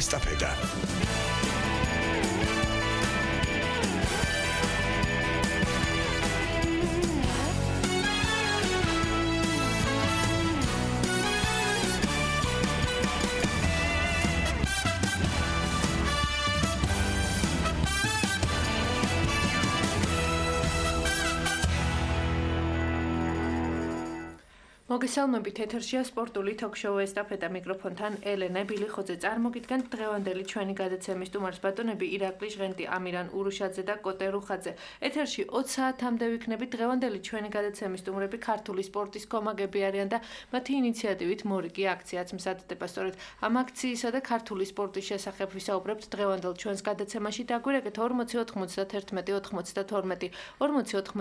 ესტაფეტა. მოგესალმებით, ეთერშია სპორტული თოქ-შოუ ესტაფეტა, მიკროფონთან ელენე ბილიხოძე. წარმოგიდგენთ დღევანდელი ჩვენი გადაცემის სტუმარს ბატონები ირაკლი ჟღენტი, ამირან ურუშაძე და კოტე რუხაძე. ეთერში 20 საათამდე ვიქნებით. დღევანდელი ჩვენი გადაცემის სტუმრები ქართული სპორტის კომაგები არიან და მათი ინიციატივით მორიგი აქციაც მზადდება. სწორედ ამ აქციისა და ქართული სპორტის შესახებ ვისაუბრებთ დღევანდელ ჩვენს გადაცემაში. დაგვირეკეთ 40 91 92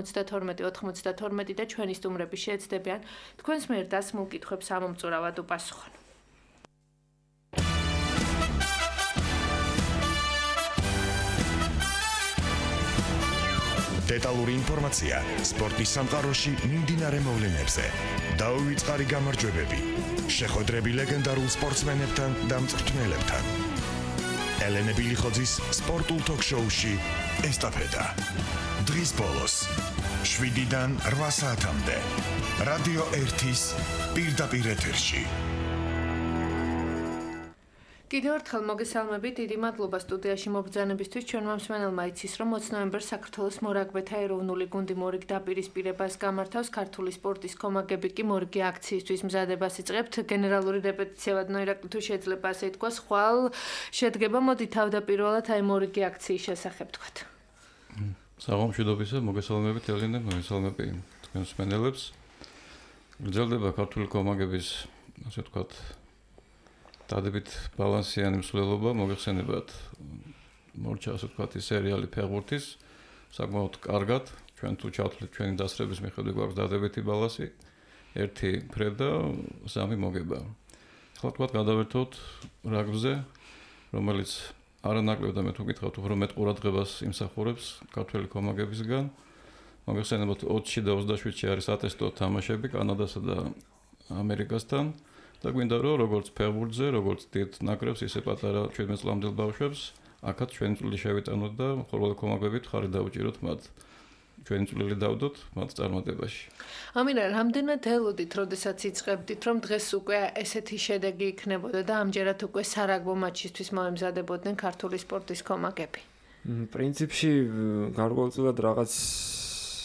40 92 92 და ჩვენი სტუმრები შეეცდებიან თქვენს მიერ დასმულ კითხვებს ამომწურავად უპასუხონ. დეტალური ინფორმაცია სპორტის სამყაროში მიმდინარე მოვლენებზე. დაუვიწყარი გამარჯვებები, შეხვედრები ლეგენდარულ სპორტსმენებთან და მწვრთნელებთან. ელენე ბილიხოძის სპორტულ თოქ-შოუში ესტაფეტა. დღის ბოლოს 7-დან 8 საათამდე რადიო 1-ის პირდაპირ ეთერში. კიდევ ერთხელ მოგესალმებით, დიდი მადლობა სტუდიაში მობრძანებისთვის. ჩვენმა მსმენელმა იცის, რომ 20 ნოემბერს საქართველოს მორაგბეთა ეროვნული გუნდი მორიგ დაპირისპირებას გამართავს. ქართული სპორტის კომაგები კი მორიგი აქციისთვის მზადებას იწყებთ. გენერალური რეპეტიცია ვადნო ირაკლი, თუ შეიძლება ასე ითქვას, ხვალ შედგება. მოდი თავდაპირველად აი მორიგი აქციის შესახებ თქვათ. საღამოშიდობისა, მოგესალმებით ელენე, მოგესალმები თქვენ მსმენელებს. გრძელდება ქართული კომაგების, ასე ვთქვათ, დადებით ბალანსიანი მსვლელობა, მოგეხსენებათ მორჩა, ასე ვთქვათ, სერიალი ფეხბურთის, საკმაოდ კარგად, ჩვენ თუ ჩავთვლით ჩვენი დასწრების მიხედვით გვაქვს დადებითი ბალანსი, 1 ფრე და 3 მოგება. ახლა ვთქვათ, გადავერთოთ რაგბზე, რომელიც არანაკლებ და მე თუ გითხრათ, უფრო მეტ ყურადღებას იმსახურებს ქართველი კომაგებისგან. მოგეხსენებათ 20-ში და 27-ში არის ატესტო თამაშები კანადასა და ამერიკასთან და გვინდა რომ როგორც ფეხბურთზე, როგორც დიდ ნაკრებს, ისე პატარა 17 წლამდელ ბავშვებს აქაც ჩვენი წვლილი შევიტანოთ და ხოლმე კომაგებით ხარი დაუჭიროთ მათ. ჩვენი წვლილი დავდოთ მათ წარმატებაში. ამირან, რამდენად ელოდით, როდესაც იწყებდით, რომ დღეს უკვე ესეთი შედეგი იქნებოდა და ამჯერად უკვე სარაგბო მატჩისთვის მოემზადებოდნენ ქართული სპორტის კომაგები? პრინციპში გარკვეულწილად რაღაც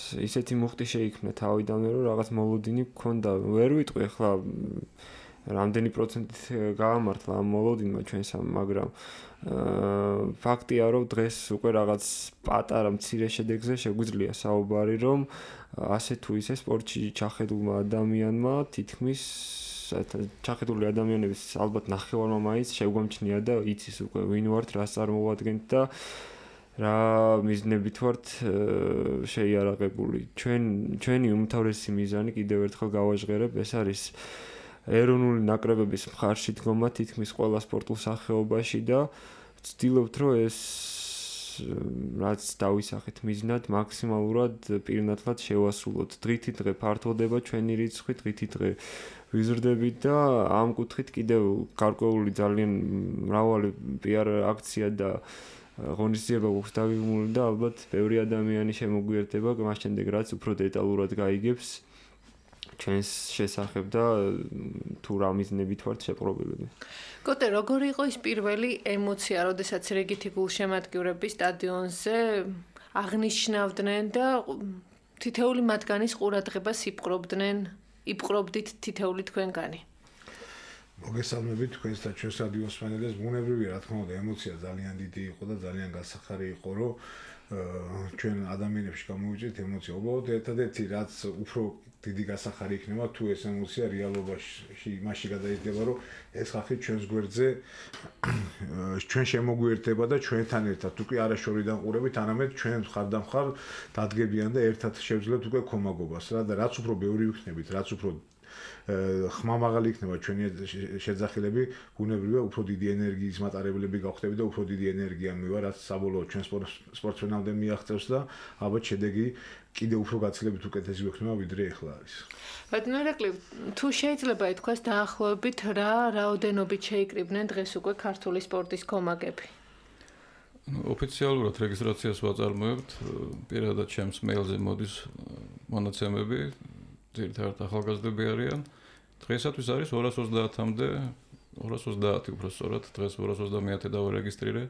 ისეთი მუხტი შეიქმნა თავიდანვე, რომ რაღაც მოლოდინი გქონდა. ვერ ვიტყვი ახლა რამდენი პროცენტით გაამართლა ამ მოლოდინმა ჩვენსამ, მაგრამ ფაქტია, რომ დღეს უკვე რაღაც პატარა მცირე შედეგზე შეგვიძლია საუბარი, რომ ასე თუ ისე სპორტში ჩახედულმა ადამიანმა თითქმის ჩახედული ადამიანების ალბათ ნახევარმა მაინც შეგვამჩნია და იცის უკვე ვინ ვართ, რას წარმოვადგენთ და რა მიზნებით ვართ შეიარაღებული. ჩვენი უმთავრესი მიზანი კიდევ ერთხელ გავაჟღერებ, ეს არის ეროვნული ნაკრებების მხარში დგომა თითქმის ყველა სპორტულ სახეობაში და ვცდილობთ, რომ ეს რაც დავისახეთ მიზნად, მაქსიმალურად პირნათლად შევასრულოთ. დღითი დღე ფართოვდება ჩვენი რიცხვი, დღითი დღე ვიზრდებით და ამ კუთხით კიდევ გარკვეული ძალიან მრავალი PR აქცია და ღონისძიება გვაქვს დაგეგმული და ალბათ ბევრი ადამიანი შემოგვიერთდება, მას შემდეგ რაც უფრო დეტალურად გაიგებს ჩვენს შესახებ და თუ რა მიზნებით ვართ შეპყრობილები. კოტე, როგორი იყო ის პირველი ემოცია, როდესაც რიგითი გულშემატკივრები სტადიონზე აღნიშნავდნენ და თითეული მათგანის ყურადღებას იპყრობდით თითეული თქვენგანი? მოგესალმებით თქვენს და ჩვენს რადიოს მსმენელებს. ბუნებრივია, რა თქმა უნდა, ემოცია ძალიან დიდი იყო და ძალიან გასახარი იყო, რომ ჩვენ ადამიანებში გამოვიჭრით ემოცია. უბრალოდ ერთადერთი რაც უფრო დიდი გასახარი იქნება, თუ ეს ემოცია რეალობაში იმაში გადაიზრდება, რომ ეს ხალხი ჩვენს გვერდზე ჩვენ შემოგვიერთდება და ჩვენთან ერთად უკვე არაშორიდან ყურებით, არამედ ჩვენ მხარდამხარ დადგებიან და ერთად შევძლებთ უკვე კომაგობას რა და რაც უფრო ბევრი ვიქნებით, რაც უფრო ხმამაღალი იქნება ჩვენი შეძახილები, ბუნებრივია უფრო დიდი ენერგიის მატარებლები გავხდები და უფრო დიდი ენერგია მივა, რაც საბოლოოდ ჩვენ სპორტსმენამდე მიაღწევს და ალბათ შედეგი კიდევ უფრო გაცილებით უკეთესი ვიქნება ვიდრე ახლა არის. ბატონო ირაკლი, თუ შეიძლება ითქვას დაახლოებით რა რაოდენობით შეიკრიბნენ დღეს უკვე ქართული სპორტის კომაგები? ოფიციალურად რეგისტრაციას ვაწარმოებთ, პირადად ჩემს მეილზე მოდის მონაცემები, ძირითადად ახალგაზრდები არიან. დღეისათვის არის 230-მდე, 230 უფრო სწორად, დღეს 230-ე დავარეგისტრირე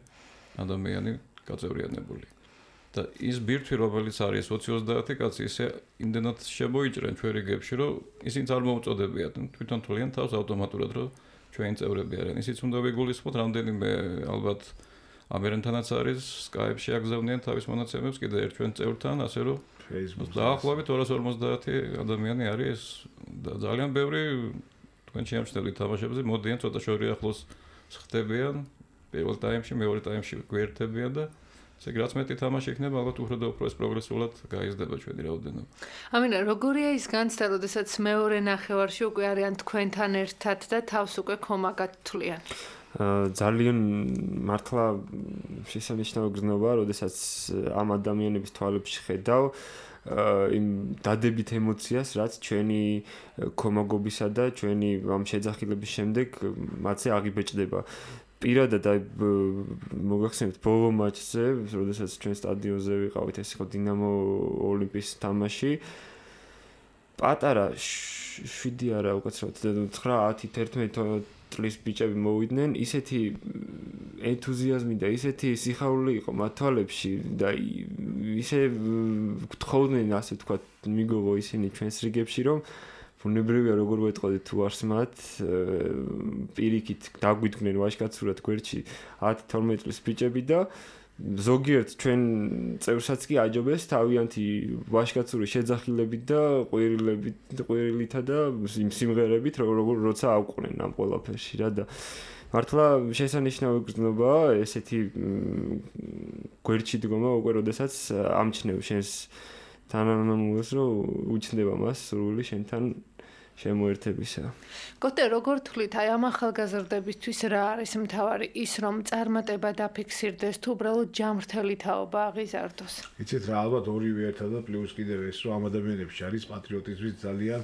ადამიანი გაწევრიანებული. და ის ბირთვი, რომელიც არის 20-30 კაცი, ისე იმდენად შემოიჭრენ ჩვენ რიგებში, რომ ისინი არ მოუწოდებიათ, თვითონ თვლიან თავს ავტომატურად, რომ ჩვენი წევრები არიან. ისიც უნდა ვიგულისხმოთ, რამდენიმე ალბათ ამერენთანაც არის, Skype-ში აგზავნიან თავის მონაცემებს კიდე ერთ ჩვენ წევრთან, ასე რომ დაახლოებით 250 ადამიანი არის და ძალიან ბევრი თქვენ შეამჩნევთ თამაშებზე, მოდიან ცოტა შორი ახლოს ხდებიან, პირველ ტაიმში, მეორე ტაიმში გვერდებიან და ესე რაც მეტი თამაში იქნება, ალბათ უფრო და უფრო ეს პროგრესულად გაიზრდება ჩვენი რაოდენობა. ამინა, როგორია ის განცდა, როდესაც მეორე ნახევარში უკვე არიან თქვენთან ერთად და თავს უკვე კომაგად თვლიან? ძალიან მართლა შესანიშნავი გრძნობა, როდესაც ამ ადამიანების თვალებში ხედავ იმ დადებით ემოციას, რაც ჩვენი კომაგობისა და ჩვენი ამ შეძახილების შემდეგ მათზე აღიბეჭდება. პირადად მოგახსენებთ ბოლო მატჩზე, როდესაც ჩვენ სტადიონზე ვიყავით, ეს იყო დინამო ოლიმპის თამაში. პატარა 7 არა, უკაცრავად 9-10-11 წლის ბიჭები მოვიდნენ, ისეთი ენთუზიაზმი და ისეთი სიხარული იყო მათ თვალებში და ისე გთხოვდნენ, ასე ვთქვათ, მიგოღო ისინი ჩვენს რიგებში, რომ ბუნებრივია როგორ ვეტყოდით თუ არს მათ პირიქით დაგვიდგნენ ვაჟკაცურად გვერდში 10-12 წლის ბიჭები და ზოგიერთ ჩვენ წევრსაც კი აჯობეს თავიანთი ვაჟკაცური შეძახილებით და ყვირილითა და სიმღერებით როცა ავყვნენ ამ ყველაფერში რა და მართლა შესანიშნავი გრძნობაა ესეთი გვერდში დგომა უკვე როდესაც ამჩნევ შენს თანამემამულეს რომ უჩნდება მას სრული შენთან შემოერთებისა. კოტე, როგორ თვლით, აი ამ ახალგაზრდებისთვის რა არის მთავარი? ის რომ წარმატება დაფიქსირდეს თუ უბრალოდ ჯამრთელი თაობა აღიზარდოს? იცით რა, ალბათ ორივე ერთად და პლუს კიდევ ეს რომ ამ ადამიანებში არის პატრიოტიზმის ძალიან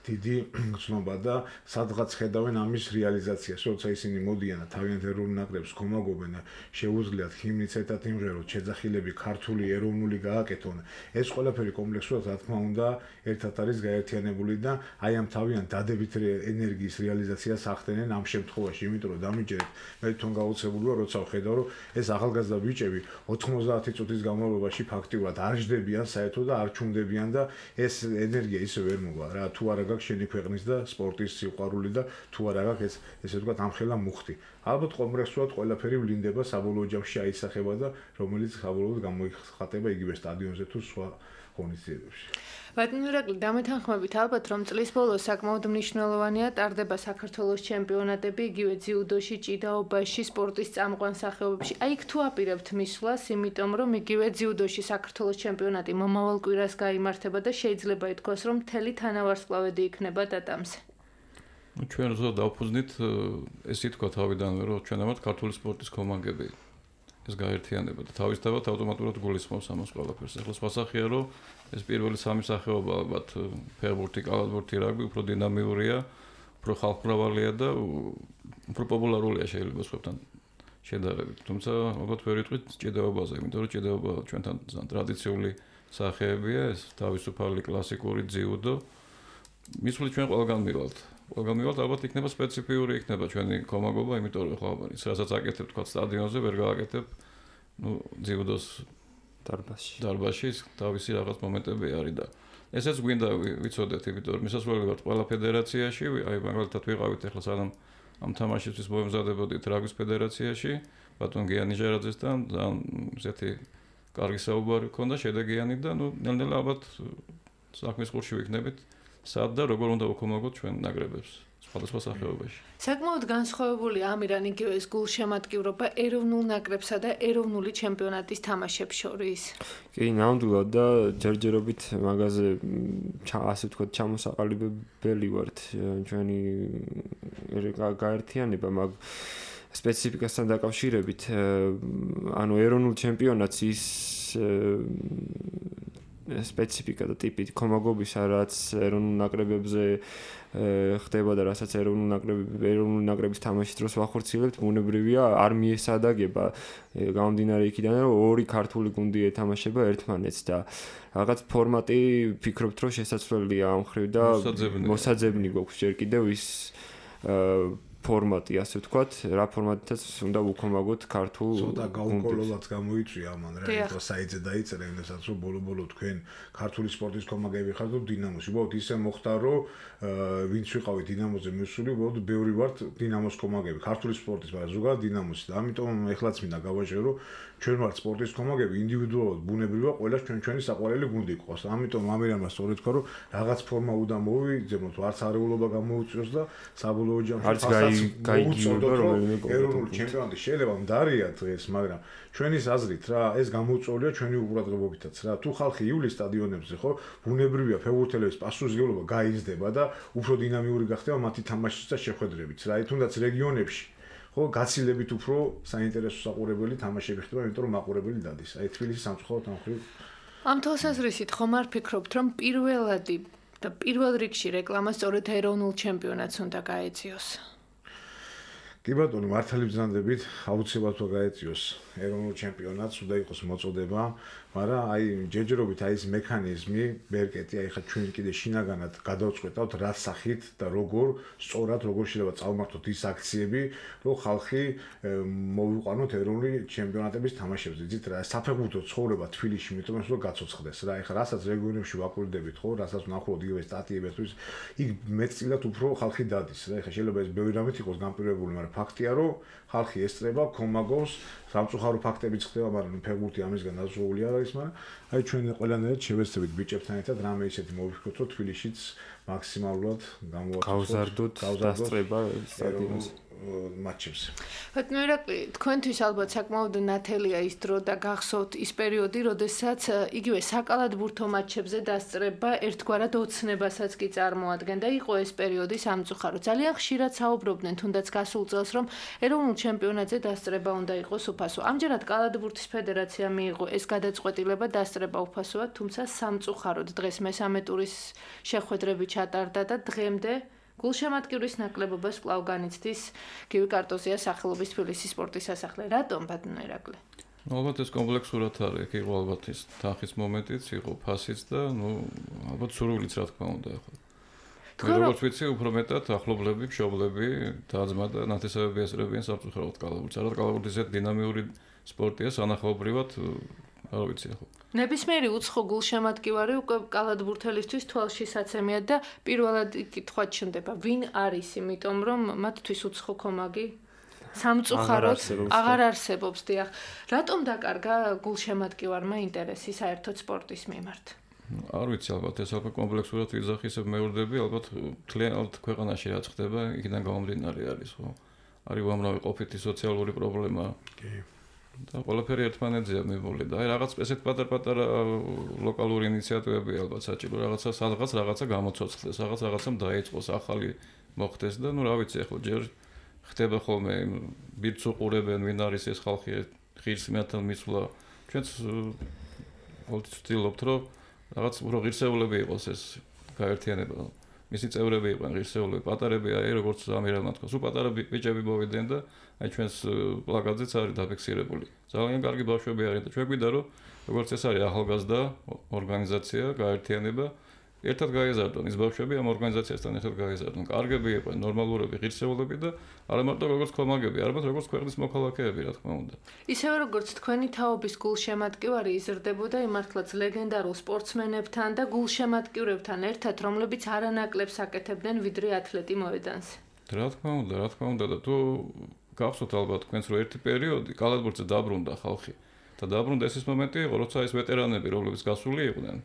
დიდი გრძნობა და სადღაც ხედავენ ამის რეალიზაციას, როცა ისინი მოდიან და თავიანთ ეროვნულ ნაკრებს ხომაგობენ და შეუძლიათ ჰიმნიც ერთად იმღეროთ, შეძახილები ქართული ეროვნული გააკეთონ. ეს ყველაფერი კომპლექსურად რა თქმა უნდა ერთად არის გაერთიანებული და აი ამ თავიანთ დადებით ენერგიის რეალიზაციას ახდენენ ამ შემთხვევაში, იმიტომ რომ დამიჯერეთ მე თვითონ გაუცებული ვარ, როცა ვხედავ რომ ეს ახალგაზრდა ბიჭები 90 წუთის განმავლობაში ფაქტიურად არ ჯდებიან საერთოდ და არ ჩუმდებიან და ეს ენერგია ისე ვერ მოვა რა, თუ არა შენი ქვეყნის და სპორტის სიყვარული და თუ არა გაქვს ესე ვთქვათ ამხელა მუხტი. ალბათ კომპლექსურად ყველაფერი ვლინდება საბოლოო ჯამში აისახება და რომელიც საბოლოოდ გამოიხატება იგივე სტადიონზე თუ სხვა ღონისძიებებში. ბატონო ირაკლი, დამეთანხმებით ალბათ რომ წლის ბოლოს საკმაოდ მნიშვნელოვანია ტარდება საქართველოს ჩემპიონატები, იგივე ძიუდოში, ჭიდაობაში, სპორტის წამყვან სახეობებში. აი იქ თუ აპირებთ მისვლას, იმიტომ რომ იგივე ძიუდოში საქართველოს ჩემპიონატი მომავალ კვირას გაიმართება და შეიძლება ითქვას რომ მთელი თანავარსკვლავედი იქნება დატამზე. ჩვენ ზოგადად დავფუძნით ეს ითქვა თავიდანვე რომ ჩვენამდე ქართული სპორტის კომაგები ეს გაერთიანება და თავისთავად ავტომატურად გულისხმობს ამას ყველაფერს. ახლა სხვასახია რომ ეს პირველი სამი სახეობა ალბათ ფეხბურთი, კალათბურთი, რაგბი უფრო დინამიურია, უფრო ხალხმრავალია და უფრო პოპულარულია შეიძლება სხვებთან შედარებით. თუმცა ალბათ ვერ ვიტყვით ჭიდაობაზე, იმიტომ რომ ჭიდაობა ჩვენთან ტრადიციული სახეებია, ეს თავისუფალი კლასიკური ძიუდო. მისვლით ჩვენ ყველგან მივალთ. ყველგან მივალთ, ალბათ იქნება სპეციფიური იქნება ჩვენი კომაგობა, იმიტომ რომ ხო ის რასაც აკეთებ თქვა სტადიონზე, ვერ გააკეთებ ძიუდოს დარბაზში თავისი რაღაც მომენტები არის და ესეც გვინდა ვიცოდეთ, იმიტომ რომ მისასვლელი ვართ ყველა ფედერაციაში, აი მაგალითად ვიყავით ახლა სანამ ამ თამაშისთვის მოემზადებოდით რაგბის ფედერაციაში, ბატონ გიანი ჟერაძესთან, ესეთი კარგი საუბარი ჰქონდა, შედეგიანი და ნელ-ნელა ალბათ საქმის ყურში ვიქნებით, სად და როგორ უნდა ვქომაგოთ ჩვენ ნაკრებებს სხვადასხვა სახეობაში. საკმაოდ განსხვავებული ამირან იგივე ეს გულშემატკივრობა ეროვნულ ნაკრებსა და ეროვნული ჩემპიონატის თამაშებს შორის. კი, ნამდვილად და ჯერჯერობით მაგაზე ასე ვთქვათ ჩამოსაყალიბებელი ვართ ჩვენი გაერთიანება მაგ სპეციფიკასთან დაკავშირებით. ანუ ეროვნულ ჩემპიონატს ის სპეციფიკა და ტიპი კომაგობისა, რაც ეროვნულ ნაკრებებზე ხდება და რასაც ეროვნული ნაკრების თამაშის დროს ვახორციელებთ, ბუნებრივია არ მიესადაგება გამომდინარე იქიდან, რომ ორი ქართული გუნდი ეთამაშება ერთმანეთს და რაღაც ფორმატი ფიქრობთ, რომ შესაძლებელია ამ მხრივ და მოსაძებნი გვაქვს ჯერ კიდევ ის ფორმატი, ასე ვთქვათ, რა ფორმატითაც უნდა ვუქომაგოთ ქართულ გუნდს. ცოტა გაუკოლოლად გამოიწვია ამან რა, იმიტომ საიძე დაიწერა, იმასაც რომ ბოლო-ბოლო თქვენ ქართული სპორტის კომაგები ხართ და დინამოში. უბრალოდ ისე მოხდა, რომ ვინც ვიყავი დინამოზე მისული, უბრალოდ ბევრი ვართ დინამოს კომაგები, ქართული სპორტის, მაგრამ ზოგადად დინამოსი და ამიტომ ეხლაც მინდა გავაჟღერო, რომ ჩვენ ვართ სპორტის კომაგები, ინდივიდუალურად ბუნებრივია ყველა ჩვენი საყვარელი გუნდი იყოს. ამიტომ ამერანმა სწორედ თქვა, რომ რაღაც ფორმა უნდა მოვიძებნოთ, არც არეულობა გამოუწიოს და საბოლოო ჯამში გაიგიობა რომელიმე ეროვნული ჩემპიონატი შეიძლება მდარია დღეს, მაგრამ ჩვენის აზრით რა, ეს გამოუწვეულია ჩვენი უყურადღებობითაც რა. თუ ხალხი იulis სტადიონებზე ხო, ბუნებრივია ფეხბურთელების პასუხისმგებლობა გაიზრდება და უფრო დინამიური გახდება მათი თამაშიც და შეხვედრებიც რა. თუნდაც რეგიონებში ხო, გაცილებით უფრო საინტერესო საყურებელი თამაშები ხდება, იმიტომ რომ მაყურებელი დადის. აი თბილისის სამწუხაროდ ამ ხრივ ამ თვალსაზრისით ხომ არ ფიქრობთ, რომ პირველ რიგში რეკლამა სწორედ ეროვნულ ჩემპიონატს უნდა გაეწიოს? კი ბატონო, მართალი ბრძანდებით, აუცილებლად უნდა გაეწიოს ეროვნულ ჩემპიონატს, უნდა იყოს მოწოდება, მაგრამ აი ჯერჯერობით აი ეს მექანიზმი, ბერკეტი, აი ხა ჩვენ კიდე შინაგანად გადავწყვეტავთ რა სახით და როგორ სწორად როგორ შეიძლება წავმართოთ ის აქციები, რომ ხალხი მოვიყვანოთ ეროვნული ჩემპიონატების თამაშებზე. იცით რა, საფეხბურთო ცხოვრება თბილისში, იმიტომ რომ გაცოცხლდეს რა. ეხლა რასაც რეგიონებში ვაკურდებით, ხო, რასაც ვნახავთ იგივე სტატიებებს, იქ მეტწილად უფრო ხალხი დადის რა. ეხლა შეიძლება ეს ბევრი რამით იყოს განპირობებული, მაგრამ ფაქტია, რომ ხალხი ესწრება, კომაგობს, სამწუხარო ფაქტებიც ხდება, მაგრამ ფეხბურთი ამისგან დაზღვეული არ არის, მაგრამ აი ჩვენ ყველანაირად შევეცდებით ბიჭებთან ერთად რამე ისეთი მოვიფიქროთ, რომ თბილისშიც მაქსიმალურად გავზარდოთ დასწრება სტადიონის მატჩებს. ბატონო ირაკლი, თქვენთვის ალბათ საკმაოდ ნათელია ის დრო და გახსოვთ ის პერიოდი, როდესაც იგივე საკალათბურთო მატჩებზე დასწრება ერთგვარად ოცნებასაც კი წარმოადგენდა. იყო ეს პერიოდი სამწუხარო. ძალიან ხშირად საუბრობდნენ თუნდაც გასულ წელს, რომ ეროვნულ ჩემპიონატზე დასწრება უნდა იყოს უფასო. ამჯერად კალათბურთის ფედერაცია მიიღო ეს გადაწყვეტილება დასწრება უფასოა, თუმცა სამწუხაროდ დღეს მესამე ტურის შეხვედრები ჩატარდა და დღემდე გულშემატკივრის ნაკლებობას კვლავ განიცდის გივი კარტოზიას სახელობის თბილისის სპორტის სასახლე. რატომ ბატონო ირაკლი? ალბათ ეს კომპლექსურად არის, იქ იყო ალბათ ის თანხის მომენტიც, იყო ფასიც და ალბათ სურვილიც რა თქმა უნდა ახლა. როგორც ვიცი, უფრო მეტად ახლობლები, მშობლები, და-ძმა და ნათესავები ესწრებიან სამწუხაროდ კალათბურთს. არა კალათბურთი ისეთ დინამიური სპორტია, სანახაობრივად არ ვიცი ახლა. ნებისმიერი უცხო გულშემატკივარი უკვე კალათბურთელისთვის თვალშისაცემია და პირველად კითხვა ჩნდება, ვინ არის, იმიტომ რომ მათთვის უცხო კომაგი სამწუხაროდ აღარ არსებობს. დიახ, რატომ დაკარგა გულშემატკივარმა ინტერესი საერთოდ სპორტის მიმართ? არ ვიცი, ალბათ ეს ალბათ კომპლექსურად ვიზახისებ მეურდები, ალბათ მთლიანად ქვეყანაში რაც ხდება, იქიდან გამომდინარე არის, ხო? არის უამრავი ყოფითი სოციალური პრობლემა. კი. და ყველაფერი ერთმანეთზეა მიბოლი და აი რაღაც ესეთ პატარ-პატარა ლოკალური ინიციატივები ალბათ საჭირო რაღაცა გამოცოცხლდეს, რაღაცამ დაიწყოს, ახალი მოხდეს და რა ვიცი, ახლა ჯერ ხდება ხოლმე ბირთს უყურებენ, ვინ არის ეს ხალხი, ღირსმეათან მისვლა. ჩვენც ვცდილობთ, რომ რაღაც უფრო ღირსეულები იყოს ეს გაერთიანება. მისი წევრები იყვნენ ღირსეულები, პატარები, აი როგორც ამირანმა თქვა, სულ პატარა ბიჭები მოვიდნენ და აი ჩვენს პლაკატზეც არის დაფიქსირებული. ძალიან კარგი ბავშვები არიან და ჩვენ გვინდა რომ როგორც ეს არის ახალგაზრდა ორგანიზაცია, გაერთიანება, ერთად გაეზარდონ ის ბავშვები ამ ორგანიზაციასთან ერთად გაეზარდონ. კარგები იყვნენ, ნორმალურები, ღირსეულები და არა მარტო როგორც კომაგები, არამედ როგორც ქვეყნის მოქალაქეები, რა თქმა უნდა. ისევე როგორც თქვენი თაობის გულშემატკივარი იზრდებოდა იმართლაც ლეგენდარულ სპორტსმენებთან და გულშემატკივრებთან ერთად, რომლებიც არანაკლებს აკეთებდნენ ვიდრე ათლეტი მოედანზე. რა თქმა უნდა და თუ გახსოვთ ალბათ თქვენს რომ ერთი პერიოდი კალათბურთზე დაბრუნდა ხალხი და დაბრუნდა ეს მომენტი იყო, როცა ეს ვეტერანები, რომლებიც გასული იყვნენ,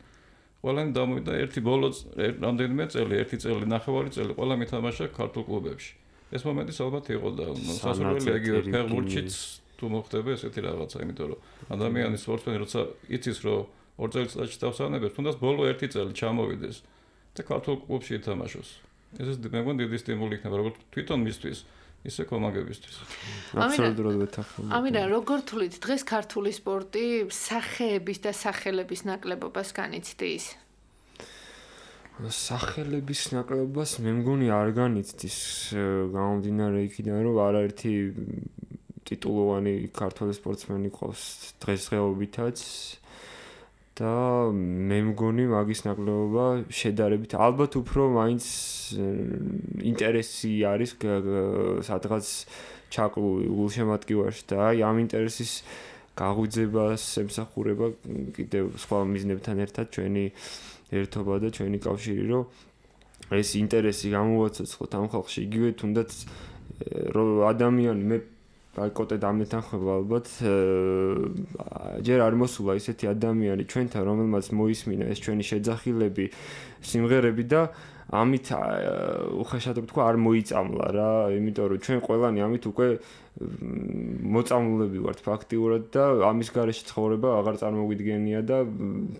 ყველანი დამოვიდა ერთი ბოლო რამდენიმე წელი, ერთი წელი, ნახევარი წელი, ყველა მითამაშა ქართულ კლუბებში. ეს მომენტი ალბათ იყო და სასურველია იგივე ფეხბურთშიც თუ მოხდება ესეთი რაღაცა, იმიტომ რომ ადამიანის სპორტსმენი როცა იცის რომ 2 წელიწადში დავსანებებს, თუნდაც ბოლო 1 წელი ჩამოვიდეს და ქართულ კლუბში ითამაშოს. ეს მე მგონი დიდი სტიმული იქნება როგორც თვითონ მისთვის, ისე კომაგებისთვის. აბსოლუტურად ვეთანხმები. ამირან, როგორ თulit დღეს ქართული სპორტი სახეების და სახელების ნაკლებობას განიცდის? სახელების ნაკლებობას მე მგონი არ განიცდის გამომდინარე იქიდან, რომ არაერთი ტიტულოვანი ქართველი სპორტსმენი ყავს დღესდღეობითაც და მე მგონი მაგის ნაკლებობა შედარებით ალბათ უფრო მაინც ინტერესი არის სადღაც ჩაკლული გულშემატკივარში და აი ამ ინტერესის გაღვიძებას ემსახურება კიდევ სხვა მიზნებთან ერთად ჩვენი ერთობა და ჩვენი კავშირი, რომ ეს ინტერესი გამოვაცოცხლოთ ამ ხალხში, იგივე თუნდაც რომ ადამიანი მე კოტე დამეთანხმება ალბათ ჯერ არ მოსულა ისეთი ადამიანი ჩვენთან, რომელმაც მოისმინა ეს ჩვენი შეძახილები, სიმღერები და ამით უხეშად ვთქვა არ მოიწამლა რა, იმიტომ რომ ჩვენ ყველანი ამით უკვე მოწამლულები ვართ ფაქტიურად და ამის გარეშე ცხოვრება აღარ წარმოგვიდგენია და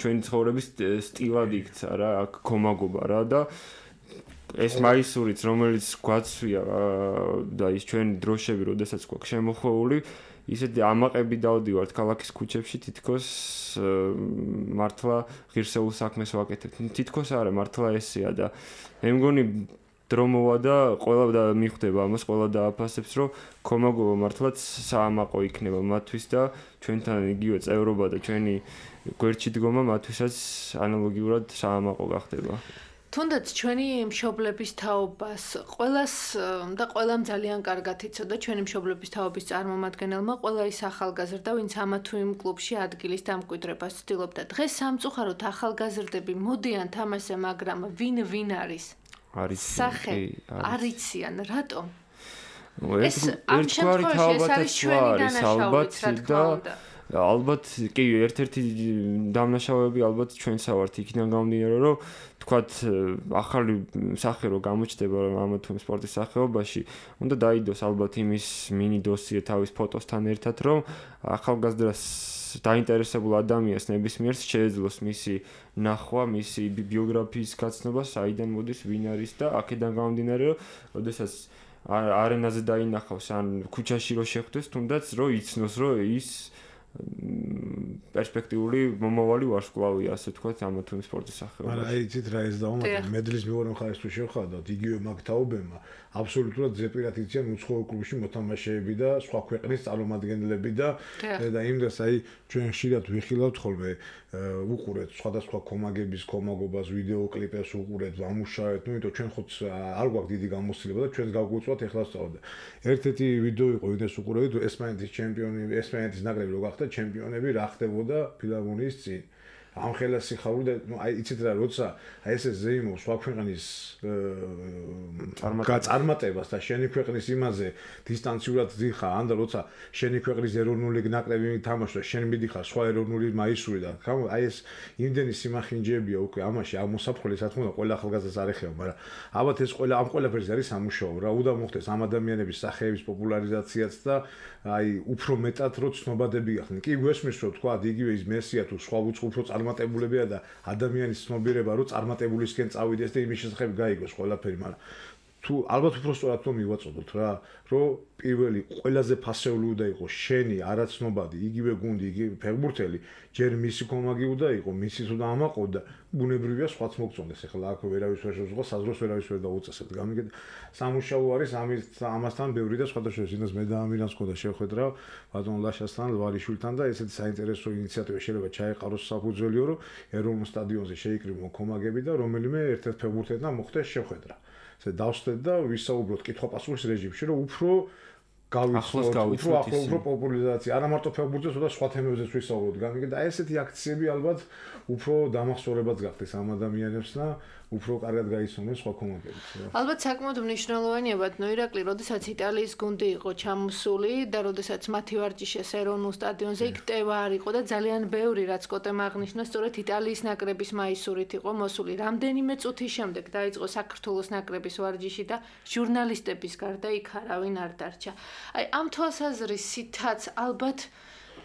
ჩვენი ცხოვრების სტილად იქცა რა, აქ კომაგობა რა და ეს მაისურიც რომელიც გვაცვია და ის ჩვენი დროშები, როდესაც გვაქვს შემოხვეული, ისეთი ამაყები დავდივართ ქალაქის ქუჩებში, თითქოს მართლა ღირსეულ საქმეს ვაკეთებთ. თითქოს არა, მართლა ესეა და მე მგონი დრო მოვა და ყველა და მიხვდება ამას, ყველა დააფასებს, რომ კომაგობა მართლაც საამაყო იქნება მათთვის და ჩვენთან იგივე წევრობა და ჩვენი გვერდში დგომა მათთვისაც ანალოგიურად საამაყო გახდება. თუნდაც ჩვენი მშობლების თაობას ყველას და ყველამ ძალიან კარგად იცოდა ჩვენი მშობლების თაობის წარმომადგენელმა ყველა ის ახალგაზრდა, ვინც ამა თუ იმ კლუბში ადგილის დამკვიდრებას ცდილობდა. დღეს სამწუხაროდ ახალგაზრდები მოდიან თამაშზე, მაგრამ ვინ არის? სახე არ იციან, რატომ? ეს ამ შემთხვევაში ეს არის ჩვენი დანაშაულიც, რა თქმა უნდა. ალბათ კი ერთ-ერთი დამნაშავეები ალბათ ჩვენსა ვართ იქიდან გამომდინარე რომ თქვათ ახალი სახე რო გამოჩნდება ამა თუ იმ სპორტის სახეობაში უნდა დაიდოს ალბათ იმის მინი დოსიე თავის ფოტოსთან ერთად რომ ახალგაზრდას დაინტერესებულ ადამიანს ნებისმიერს შეეძლოს მისი ნახვა, მისი ბიოგრაფიის გაცნობა, საიდან მოდის, ვინ არის და აქედან გამომდინარე რომ როდესაც არენაზე დაინახავს ან ქუჩაში რო შეხვდეს, თუნდაც რო იცნოს რომ ის პერსპექტიული მომავალი ვარსკვლავია, ასე ვთქვათ, ამა თუ იმ სპორტის სახეობაში. არა, იცით რა ეს დავუმატებ, მედლის მეორე მხარეს თუ შევხედოთ, იგივე მაგ თაობებმა აბსოლუტურად ზეპირად იციან უცხოურ კლუბში მოთამაშეები და სხვა ქვეყნის წარმომადგენლები და იმდენს აი ჩვენ ხშირად ვიხილავთ ხოლმე უყურეთ სხვადასხვა კომაგების კომაგობას, ვიდეო კლიპებს უყურეთ, ვამუშავეთ, ну იტო ჩვენ ხო არ გვაქვს დიდი გამოცდილება და ჩვენს გავგვიწვათ ეხლა სწავლა. ერთ-ერთი ვიდეო იყო, ვინც უყურებთ, ესპანეთის ჩემპიონი, ესპანეთის ნაკრები რო გახდა ჩემპიონები, რა ხდებოდა ფილარმონიის წინ. ამ ხელას სიხარული და ну აი იცით რა, როცა აი ესე ზეიმო სხვა ქვეყნის წარმატებას და შენი ქვეყნის იმაზე დისტანციურად ძიხა, ან და როცა შენი ქვეყნის ეროვნული ნაკრები თამაშობს, შენ მიდიხარ სხვა ეროვნული მაისური და აი ეს იმდენი სიმახინჯეებია უკვე ამაში ამოსაფრთხილე რა თქმა უნდა ყველა ახალგაზრდას არ ეხება, მაგრამ ალბათ ეს ყველა ამ ყველაფერს არის სამუშაო რა, უნდა მოხდეს ამ ადამიანების სახეების პოპულარიზაციაც და აი უფრო მეტად რო ცნობადები გახდნენ. კი გვესმის რომ თქვა იგივე ის მესია თუ სხვა უფრო წარმატებულებია და ადამიანის ცნობიერება რო წარმატებულისკენ წავიდეს და იმის შესახებ გაიგოს ყველაფერი, მაგრამ თუ ალბათ უფრო სწორად რომ მივაწოდოთ რა, რომ პირველი ყველაზე ფასეული უნდა იყოს შენი არაცნობადი, იგივე გუნდი, იგივე ფეხბურთელი, ჯერ მისი კომაგი უნდა იყოს, მისი თუ და ამაყო და ბუნებრივია სხვაც მოგწონდეს. ეხლა აქ ვერავის ვერ შეძლო, საზროს ვერავის ვერ დაუწესებთ. გამიგეთ, სამუშაო არის ამასთან ბევრი და სხვადასხვა შინას მე და ამირანს ხოდა შევხედრა ბატონ ლაშასთან, ლვარიშვილთან და ესეთი საინტერესო ინიციატივა შეიძლება ჩაეყაროს საფუძველიო, რომ ეროვნულ სტადიონზე შეიკრიბონ კომაგები და რომელიმე ერთ-ერთ ფეხბურთელთან მოხდეს შეხვედრა. დავსვდეთ და ვისაუბროთ კითხვა-პასუხის რეჟიმში, რომ უფრო გავიცნოთ, უფრო პოპულარიზაცია, არა მარტო ფეხბურთზე, თუმცა სხვა თემებზეც ვისაუბროთ. გამიგეთ, აი ესეთი აქციები ალბათ უფრო დამახსოვრებაც გახდეს ამ ადამიანებს და უფრო კარგად გაიცნონ სხვა კომაგებიც. ალბათ საკმაოდ მნიშვნელოვანია ბატონო ირაკლი, როდესაც იტალიის გუნდი იყო ჩამოსული და როდესაც მათი ვარჯიშეს ეროვნულ სტადიონზე იქ ტევა არ იყო და ძალიან ბევრი რაც კოტემ აღნიშნა, სწორედ იტალიის ნაკრების მაისურით იყო მოსული. რამდენიმე წუთის შემდეგ დაიწყო საქართველოს ნაკრების ვარჯიში და ჟურნალისტების გარდა იქ არავინ არ დარჩა. აი ამ თვალსაზრისითაც ალბათ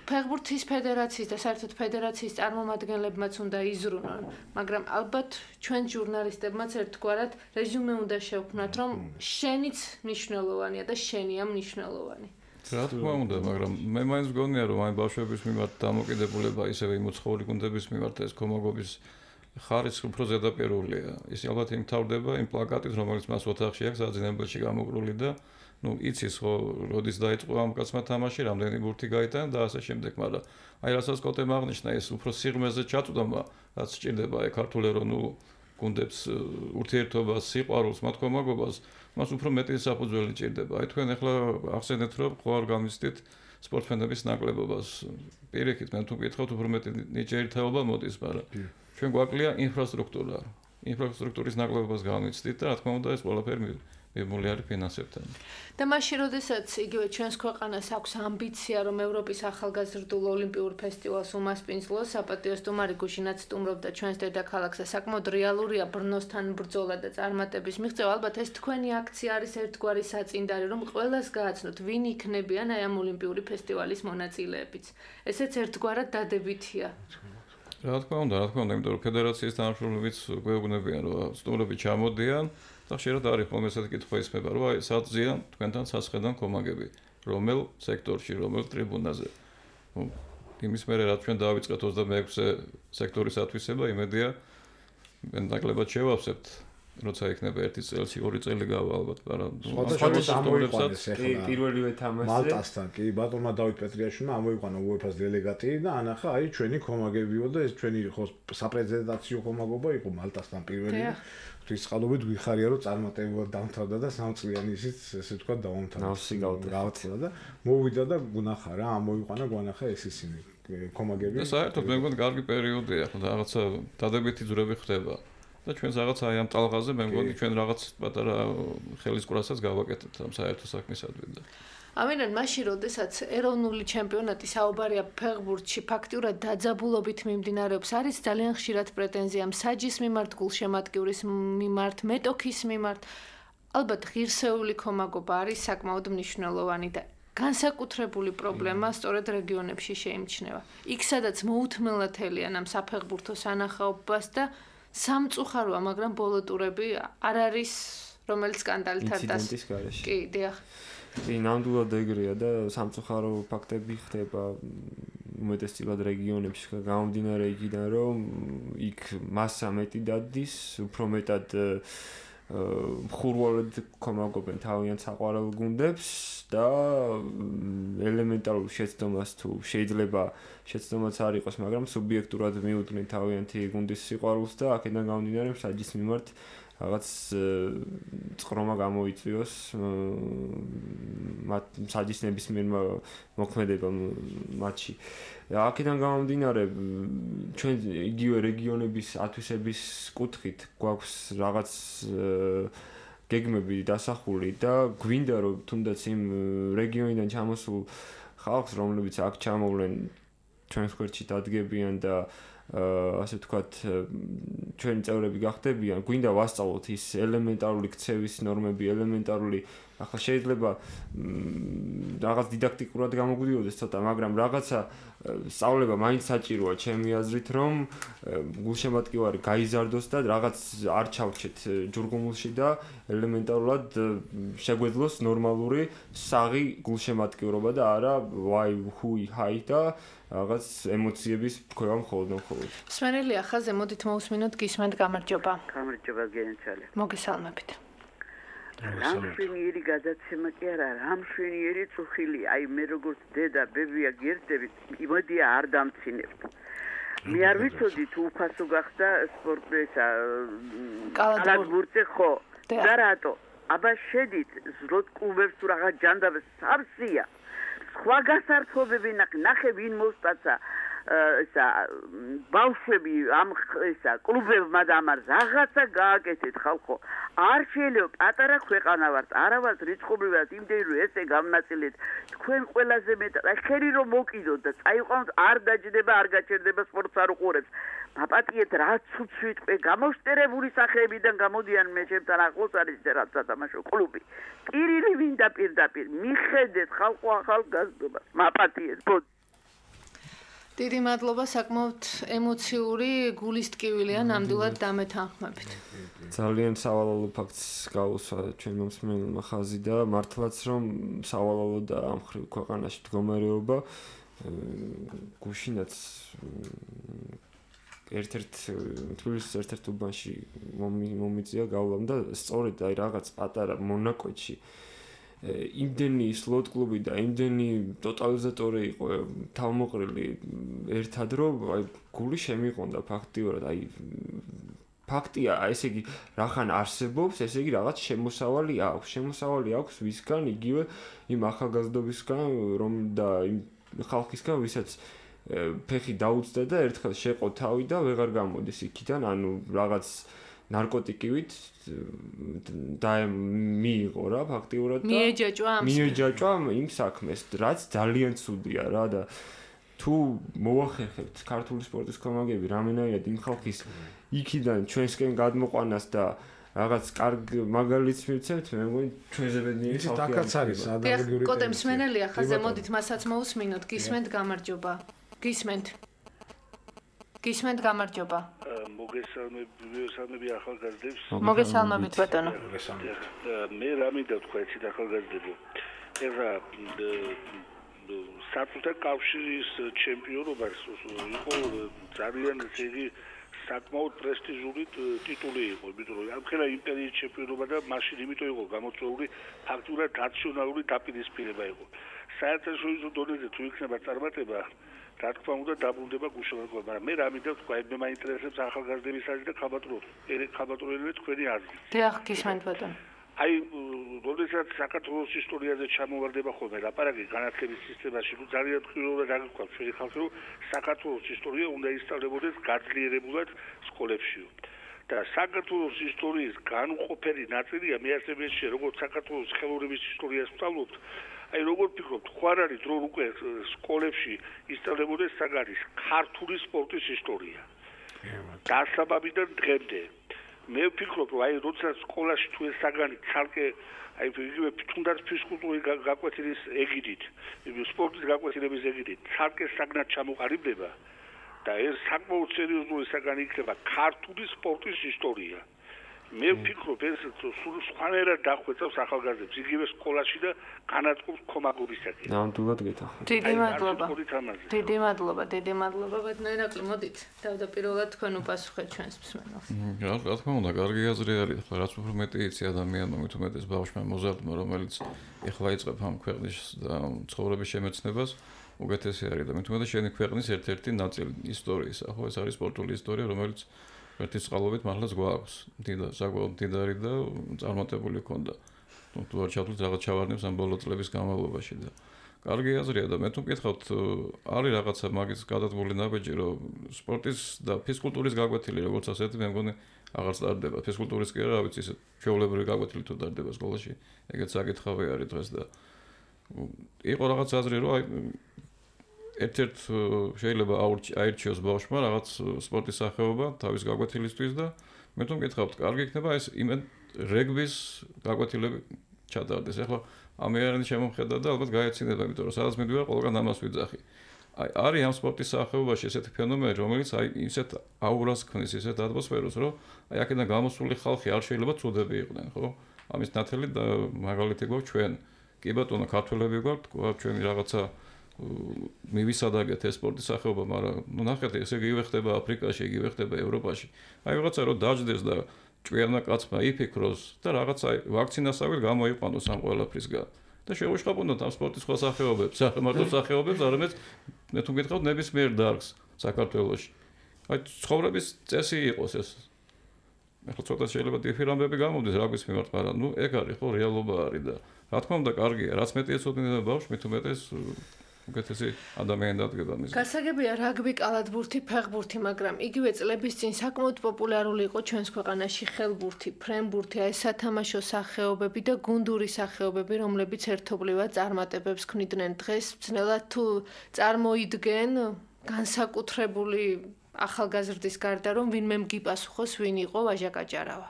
ფეხბურთის ფედერაციის და საერთოდ ფედერაციის წარმომადგენლებმაც უნდა იზრუნონ, მაგრამ ალბათ ჩვენ ჟურნალისტებმაც ერთგვარად რეზუმე უნდა შევქმნათ, რომ შენიც მნიშვნელოვანია და შენია მნიშვნელოვანი. რა თქმა უნდა, მაგრამ მე მაინც მგონია, რომ აი ბავშვების მიმართ დამოკიდებულება ისევე იმოცხოური გუნდების მიმართ ეს კომაგობის ხარისხი უფრო ზედაპირულია. ის ალბათ იმთავრდება იმ პლაკატით, რომელიც მას ოთახში აქვს საძინებელში გამოკრული და იცის ხო, როდის დაიწყო ამ კაცმა თამაში, რამდენი ბურთი გაიტანა და ასე შემდეგ, მაგრამ აი რასაც კოტემ აღნიშნა, ეს უფრო სიღრმეზე ჩაწვდომა, რაც სჭირდება აი ქართულ ეროვნულ გუნდებს ურთიერთობას, სიყვარულს, მათ კომაგობას, მას უფრო მეტი საფუძველი ჭირდება. აი თქვენ ახლა ახსენეთ, რომ ხო არ გამიცდით სპორტსმენების ნაკლებობას. პირიქით, მე თუ გითხავთ, უფრო მეტი ნიჭიერი თაობა მოდის, მაგრამ ჩვენ გვაკლია ინფრასტრუქტურა. ინფრასტრუქტურის ნაკლებობას გამიცდით და რა თქმა უნდა ეს ყველაფერი მიბმული არის ფინანსებთან. და მაშინ, როდესაც იგივე ჩვენს ქვეყანას აქვს ამბიცია, რომ ევროპის ახალგაზრდულ ოლიმპიურ ფესტივალს უმასპინძლოს, საპატიო სტუმარი გუშინაც სტუმრობდა ჩვენს დედაქალაქს და საკმაოდ რეალურია ბრნოსთან ბრძოლა და წარმატების მიღწევა. ალბათ ეს თქვენი აქცია არის ერთგვარი საწინდარი, რომ ყველას გააცნოთ, ვინ იქნებიან აი ამ ოლიმპიური ფესტივალის მონაწილეებიც. ესეც ერთგვარად დადებითია. რა თქმა უნდა, იმიტომ რომ ფედერაციის თანამშრომლებიც გვეუბნებიან, რომ სტუმრები ჩამოდიან და ხშირად არის ხოლმე ესეთი კითხვა ისმება, რომ აი სadzიან თქვენთან სასხედან კომაგები, რომელ სექტორში, რომელ ტრიბუნაზე. იმის მერე რაც ჩვენ დავიწყეთ 26-ე სექტორის ათვისება, იმედია მე ნაკლებად შევავსებთ, როცა იქნება 1 წელში 2 წელი გავა ალბათ, მაგრამ პირველივე თამაშზე მალტასთან კი ბატონმა დავით პეტრიაშვილმა ამოიყვანა UEFA-ს დელეგატი და ანახა აი ჩვენი კომაგებიო და ეს ჩვენი ხო საპრეზიდენტაციო კომაგობა იყო მალტასთან პირველი. ღვთისმსხალობით გვიხარია რომ წარმატებულად დამთავრდა და 3 წლიანი ისიც ესე თქვა დავამთავრდა და მოვიდა და გუნახა რა ამოიყვანა გვანახა ეს ისინი კომაგები. და საერთოდ მე მგონი კარგი პერიოდია, ხო და რაღაცა დადებითი ძვრები ხდება. და ჩვენს რაღაც აი ამ ტალღაზე მე მგონი ჩვენ რაღაც პატარა ხელისკურასაც გავაკეთებთ ამ საერთო საქმისადმი და ამიტომ მაშინ როდესაც ეროვნული ჩემპიონატი საუბარია ფეხბურთში ფაქტიურად დაძაბულობით მიმდინარეობს არის ძალიან ხშირად პრეტენზია მსაჯის მიმართ, გულშემატკივრის მიმართ, მეტოქის მიმართ. ალბათ ღირსეული კომაგობა არის საკმაოდ მნიშვნელოვანი და განსაკუთრებული პრობლემა სწორედ რეგიონებში შეიმჩნევა. იქ სადაც მოუთმელად ელიან ამ საფეხბურთო სანახაობას და სამწუხაროა, მაგრამ ბოლო ტურები არ არის რომელიც სკანდალით არ დას. ინციდენტის გარეშე. კი, დიახ. კი, ნამდვილად ეგრეა და სამწუხარო ფაქტები ხდება უმეტესწილად რეგიონებში გამომდინარე იქიდან, რომ იქ მასა მეტი დადის, უფრო მეტად მხურვალედ კომაგობენ თავიანთ საყვარელ გუნდებს და ელემენტარულ შეცდომას თუ შეიძლება შეცდომაც არ იყოს, მაგრამ სუბიექტურად მიუძღვნენ თავიანთი გუნდის სიყვარულს და აქედან გამომდინარე მსაჯის მიმართ რაღაც წყრომა გამოიწვიოს მათ მსაჯის ნებისმიერმა მოქმედებამ მატჩში. აქედან გამომდინარე ჩვენ იგივე რეგიონების ათვისების კუთხით გვაქვს რაღაც გეგმები დასახული და გვინდა რომ თუნდაც იმ რეგიონიდან ჩამოსულ ხალხს, რომლებიც აქ ჩამოვლენ ჩვენს გვერდში დადგებიან და ასე ვთქვათ ჩვენი წევრები გახდებიან, გვინდა ვასწავლოთ ის ელემენტარული ქცევის ნორმები, ელემენტარული ახლა შეიძლება რაღაც დიდაქტიკურად გამოგვიდიოდეს ცოტა, მაგრამ რაღაცა სწავლება მაინც საჭიროა ჩემი აზრით, რომ გულშემატკივარი გაიზარდოს და რაღაც არ ჩავჩეთ ჯურგუმულში და ელემენტარულად შეგვეძლოს ნორმალური საღი გულშემატკივრობა და არა ვაი ჰუი ჰაი და რაღაც ემოციების ფქვევა მხოლოდ. სმენელია ხაზე მოდით მოусმინოთ გისმენთ გამარჯობა. გამარჯობა გენცალე. მოგესალმებით. რამშვენიერი გადაცემა კი არა, რამშვენიერი წუხილი. აი მე როგორც დედა ბებია გერდები, იმოდია არ დამცინებთ. მე არ ვიცოდი თუ უფასო გახდა სპორტისა კალათბურთზე ხო? და რატო? აბა შედით ზროთ კლუბებს თუ რაღაც ჯანდაბებს სავსია. სხვა გასართობები ნახე ვინ მოსტაცა ისა ბავშვები ამ ისა კლუბებმა და ამ რაღაცა გააკეთეთ ხალხო არ შეიძლება პატარა ქვეყანა ვართ არა ვართ რიცხობრივად იმდენი რომ ესე გამნაწილეთ თქვენ ყველაზე მეტად ხერი რომ მოკიდოთ და წაიყვანოთ არ დაჯდება არ გაჩერდება სპორტს არ უყურებს მაპატიეთ რაც უცვიტყვე გამოშტერებული სახეებიდან გამოდიან მე ჩემთან ახლოს არის რაღაც სათამაშო კლუბი პირილი ვინ და პირდაპირ მიხედეთ ხალხო ახალ გაზრდობას მაპატიეთ დიდი მადლობა, საკმაოდ ემოციური გულის ტკივილია ნამდვილად დამეთანხმებით. ძალიან სავალალო ფაქტს გაუსვა ჩვენ მომსმენელმა ხაზი და მართლაც რომ სავალალო და ამ ხრივ ქვეყანაში მდგომარეობა გუშინაც თბილისის ერთ-ერთ უბანში მომიწია გავლამ და სწორედ აი რაღაც პატარა მონაკვეთში იმდენი სლოტ კლუბი და იმდენი ტოტალიზატორი იყო თავმოყრილი ერთად რომ აი გული შემიყონდა ფაქტიურად აი ფაქტია ესე იგი რახან არსებობს ესე იგი რაღაც შემოსავალი აქვს ვისგან იგივე იმ ახალგაზრდობისგან რომ და იმ ხალხისგან ვისაც ფეხი დაუწდა და ერთხელ შეყო თავი და ვეღარ გამოდის იქიდან ანუ რაღაც ნარკოტიკივით მიიღო რა ფაქტიურად და მიეჯაჭვა იმ საქმეს რაც ძალიან ცუდია რა და თუ მოახერხებთ ქართული სპორტის კომაგები რამენაირად იმ ხალხის იქიდან ჩვენსკენ გადმოყვანას და რაღაც კარგ მაგალითს მივცემთ მე მგონი ჩვენზე ბედნიერი ხალხი არის ადამიანური კოტე მსმენელია ხაზე მოდით მასაც მოусმინოთ გისმენთ გამარჯობა გისმენთ გამარჯობა მოგესალმები ახალგაზრდებს მოგესალმებით ბატონო მე რა მინდა თქვა ეცით ახალგაზრდებო ეხლა საბჭოთა კავშირის ჩემპიონობას იყო ძალიან ძლიერი საკმაოდ პრესტიჟული ტიტული იყო იმიტომ რომ ამხელა იმპერიის ჩემპიონობა და მაშინ იმიტომ იყო გამოწვეული ფაქტურად ნაციონალური დაპირისპირება იყო საერთაშორისო დონეზე თუ იქნება წარმატება რა თქმა უნდა დაბრუნდება გუშინათკომა მაგრამ მე რა მინდა თქვა მე მაინტერესებს ახალგაზრდების აზრი და ხალბატონელები თქვენი აზრი დიახ გისმენთ ბატონო აი როდესაც საქართველოს ისტორიაზე ჩამოვარდება ხოლმე ლაპარაკი განათლების სისტემაში ნუ ძალიან თქვენულად აღიქვამს ჩვენი ხალხი რომ საქართველოს ისტორია უნდა ისწავლებოდეს გაძლიერებულად სკოლებშიო და საქართველოს ისტორიის განუყოფელი ნაწილია მე ასე მეშე როგორც საქართველოს ხელოვნების ისტორიას ვსწავლობთ აი როგორ ფიქრობთ ხარ არის რომ უკვე სკოლებში ისწავლებოდეს საგანის ქართული სპორტის ისტორია დასაბამიდან დღემდე მე ვფიქრობ რომ აი როცა სკოლაში თუ ეს საგანი ცალკე აი იგივე თუნდაც ფიზკულტურის გაკვეთილის ეგიდით სპორტის გაკვეთილების ეგიდით ცალკე საგნად ჩამოყალიბდება და ეს საკმაოდ სერიოზული საგანი იქნება ქართული სპორტის ისტორია მე ვფიქრობ ეს სულ სხვანაირად დახვეწავს ახალგაზრდებს იგივე სკოლაში და განათლების კომაგობისაკენ ნამდვილად გეთახმებით დიდი მადლობა ბატონო მოდით თავდაპირველად თქვენ უპასუხეთ ჩვენს მსმენელს რა თქმა უნდა კარგი აზრი არის ახლა რაც უფრო მეტი იცი ადამიანმა მით უმეტეს ბავშვმა მოზარდმა რომელიც ეხლა იწყებ ამ ქვეყნის და ცხოვრების შემეცნებას უკეთესი არის და მით უმეტეს შენი ქვეყნის ერთ-ერთი ნაწილი ისტორიის ახლა ეს არის სპორტული ისტორია რომელიც ერთი წყალობით მართლაც გვაქვს საკმაოდ მდიდარი და წარმატებული ქონდა თუ არ ჩავთვლით რაღაც ჩავარდნებს ამ ბოლო წლების განმავლობაში და კარგი აზრია და მე თუ მკითხავთ არის რაღაცა მაგის გადადგმული ნაბეჯი რომ სპორტის და ფიზკულტურის გაკვეთილი როგორც ასეთი მე მგონი აღარ სტარდება ფიზკულტურის კი რა ვიცი ჩვეულებრივი გაკვეთილი თუ დარდება სკოლაში ეგეც საკითხავი არის დღეს და იყო რაღაც აზრი რომ აი ერთ-ერთ შეიძლება აირჩიოს ბავშვმა რაღაც სპორტის სახეობა თავის გაკვეთილისთვის და მე თუ მკითხავთ კარგი იქნება ეს რეგბის გაკვეთილები ჩატარდეს ახლა ამერანი შემომხედა და ალბათ გაეცინება იმიტომ რომ სადაც მიდივარ ყველგან ამას ვიძახი აი არის ამ სპორტის სახეობაში ესეთი ფენომენი რომელიც აი ისეთ აურას ქმნის ისეთ ატმოსფეროს რომ აი აქედან გამოსული ხალხი არ შეიძლება ცუდები იყვნენ ხო ამის ნათელი და მაგალითი გვაქვს ჩვენ კი ბატონო ქართველები გვაქვს ჩვენი რაღაცა მივისადაგეთ ეს სპორტის სახეობა, მაგრამ ნუ ნახეთ, ესე იგივე ხდება აფრიკაში, იგივე ხდება ევროპაში. აი რაღაცა რომ დაждდეს და ჭვიანა კაცმა იფიქროს და რაღაცა ვაქცინასავით გამოიყვანოს ამ ყველაფრისგან. და შეუშხაპუნოთ ამ სპორტის სხვა სახეობებს, მარტო სახეობებს, არამედ მე თუ გითხავთ ნებისმიერ დარგს საქართველოში. აი ცხოვრების წესი იყოს ეს. ახლა ცოტა შეიძლება დიფირამბები გამოვდეს რაგვის მიმართ, მაგრამ ნუ ეგ არის ხო რეალობა არის და რა თქმა უნდა კარგია, რაც მეტი ეცოდინება ბავშვს, მით უმეტეს უკეთესი ადამიანი დადგება მის. გასაგებია რაგბი, კალათბურთი, ფეხბურთი, მაგრამ იგივე წლების წინ საკმაოდ პოპულარული იყო ჩვენს ქვეყანაში ხელბურთი, ფრენბურთი, აი სათამაშო სახეობები და გუნდური სახეობები, რომლებიც ერთობლივად წარმატებებს ქმნიდნენ დღეს. ძნელად თუ წარმოიდგენ განსაკუთრებული ახალგაზრდის გარდა რომ ვინმე მგიპასუხოს ვინ იყო ვაჟა გაჭარავა.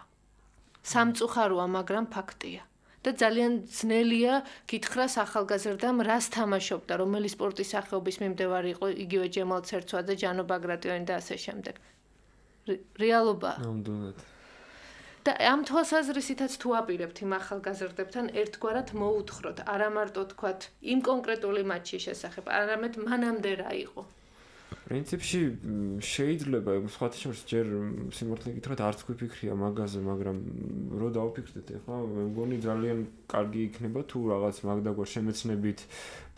სამწუხაროა, მაგრამ ფაქტია. და ძალიან ძნელია გითხრას ახალგაზრდამ რას თამაშობდა, რომელი სპორტის სახეობის მიმდევარი იყო იგივე ჯემალ ცერცვა და ჯანო ბაგრატიონი და ასე შემდეგ. რეალობა. ნამდვილად. და ამ თვალსაზრისითაც თუ აპირებთ იმ ახალგაზრდებთან ერთგვარად მოუთხროთ, არა მარტო თქვათ იმ კონკრეტული მატჩის შესახებ, არამედ მანამდე რა იყო. პრინციპში შეიძლება სხვათა შორის ჯერ სიმართლე გითხრათ არც გვიფიქრია მაგაზე, მაგრამ რო დავფიქრდეთ ახლა მე მგონი ძალიან კარგი იქნება თუ რაღაც მაგდაგვარ შემეცნებით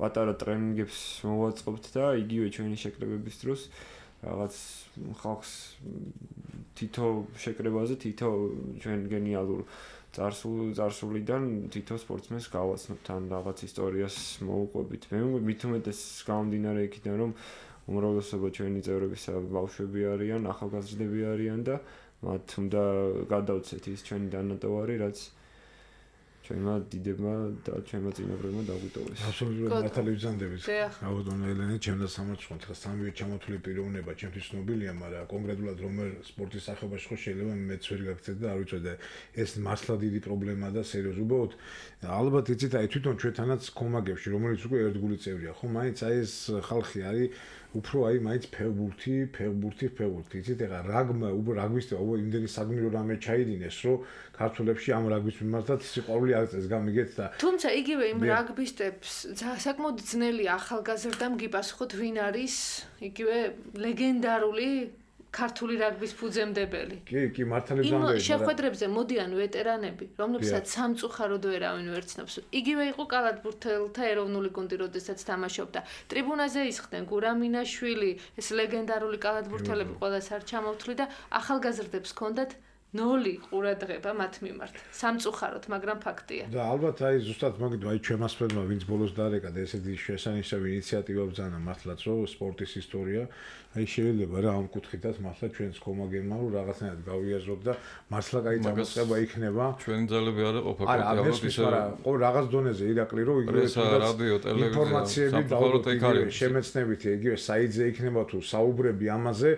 პატარა ტრენინგებს მოვაწყობთ და იგივე ჩვენი შეკრებების დროს რაღაც ხალხს თითო შეკრებაზე თითო ჩვენ გენიალურ წარსულიდან თითო სპორტსმენს გავაცნობთ ან რაღაც ისტორიას მოვუყვებით. მე მით უმეტეს გამომდინარე იქიდან რომ უმრავლესობა ჩვენი წევრებისა ბავშვები არიან, ახალგაზრდები არიან და მათ უნდა გადავცეთ ის ჩვენი დანატოვარი, რაც ჩვენმა დიდებმა და ჩვენმა წინაპრებმა დაგვიტოვეს. აბსოლუტურად მართალი ვიზანდებით. რაოდენობა ელენე ჩემდა სამარცხოთ, ხა სამივე ჩამოთვლილი პიროვნება ჩემთვის ცნობილია, მაგრამ კონკრეტულად რომელ სპორტის სახეობაში ხო შეიძლება მეც ვერ გაგცეთ და არ ვიცოდი და ეს მართლა დიდი პრობლემაა და სერიოზულად უბრალოდ ალბათ იცით აი თვითონ ჩვენთანაც კომაგებში რომელიც უკვე ერთგული წევრია ხო მაინც აი ეს ხალხი არის უფრო აი მაინც ფეხბურთი იცით ეხლა რაგბისტი იმდენი საგმირო რამე ჩაიდინეს რომ ქართველებში ამ რაგბის მიმართაც სიყვარული აღწევს გამიგეთ და თუმცა იგივე იმ რაგბისტებს საკმაოდ ძნელი ახალგაზრდამ გიპასუხოთ ვინ არის იგივე ლეგენდარული ქართული რაგბის ფუძემდებელი. კი, მართალი ვზამბები. იმ შეხვედრებზე მოდიან ვეტერანები, რომლებსაც სამწუხაროდ ვერავინ ვერ ცნობს. იგივე იყო კალათბურთელთა ეროვნული გუნდი, როდესაც თამაშობდა. ტრიბუნაზე ისხდნენ გურამინაშვილი, ეს ლეგენდარული კალათბურთელები ყველას არ ჩამოვთვლი და ახალგაზრდებს ჰქონდათ 0 ყურადღება მათ მიმართ. სამწუხაროდ, მაგრამ ფაქტია. და ალბათ აი ზუსტად მაგით აი ჩვენს ფერმა ვინც ბოლოს დაარეკა და ესეთი შესანიშნავი ინიციატივა ბრძანა მართლაც რომ სპორტის ისტორია აი შეიძლება რა ამ კუთხითაც მართლა ჩვენს კომაგებმა რომ რაღაცნაირად გავიაზროთ და მართლა კაი წამოწყება იქნება. ჩვენი ძალები არ ყოფა კონკრეტულად ისე ყო რაღაც დონეზე ირაკლი რომ იგივე რადიო, ტელევიზია, ინფორმაციები და შემეცნებითი იგივე საიტზე იქნება თუ საუბრები ამაზე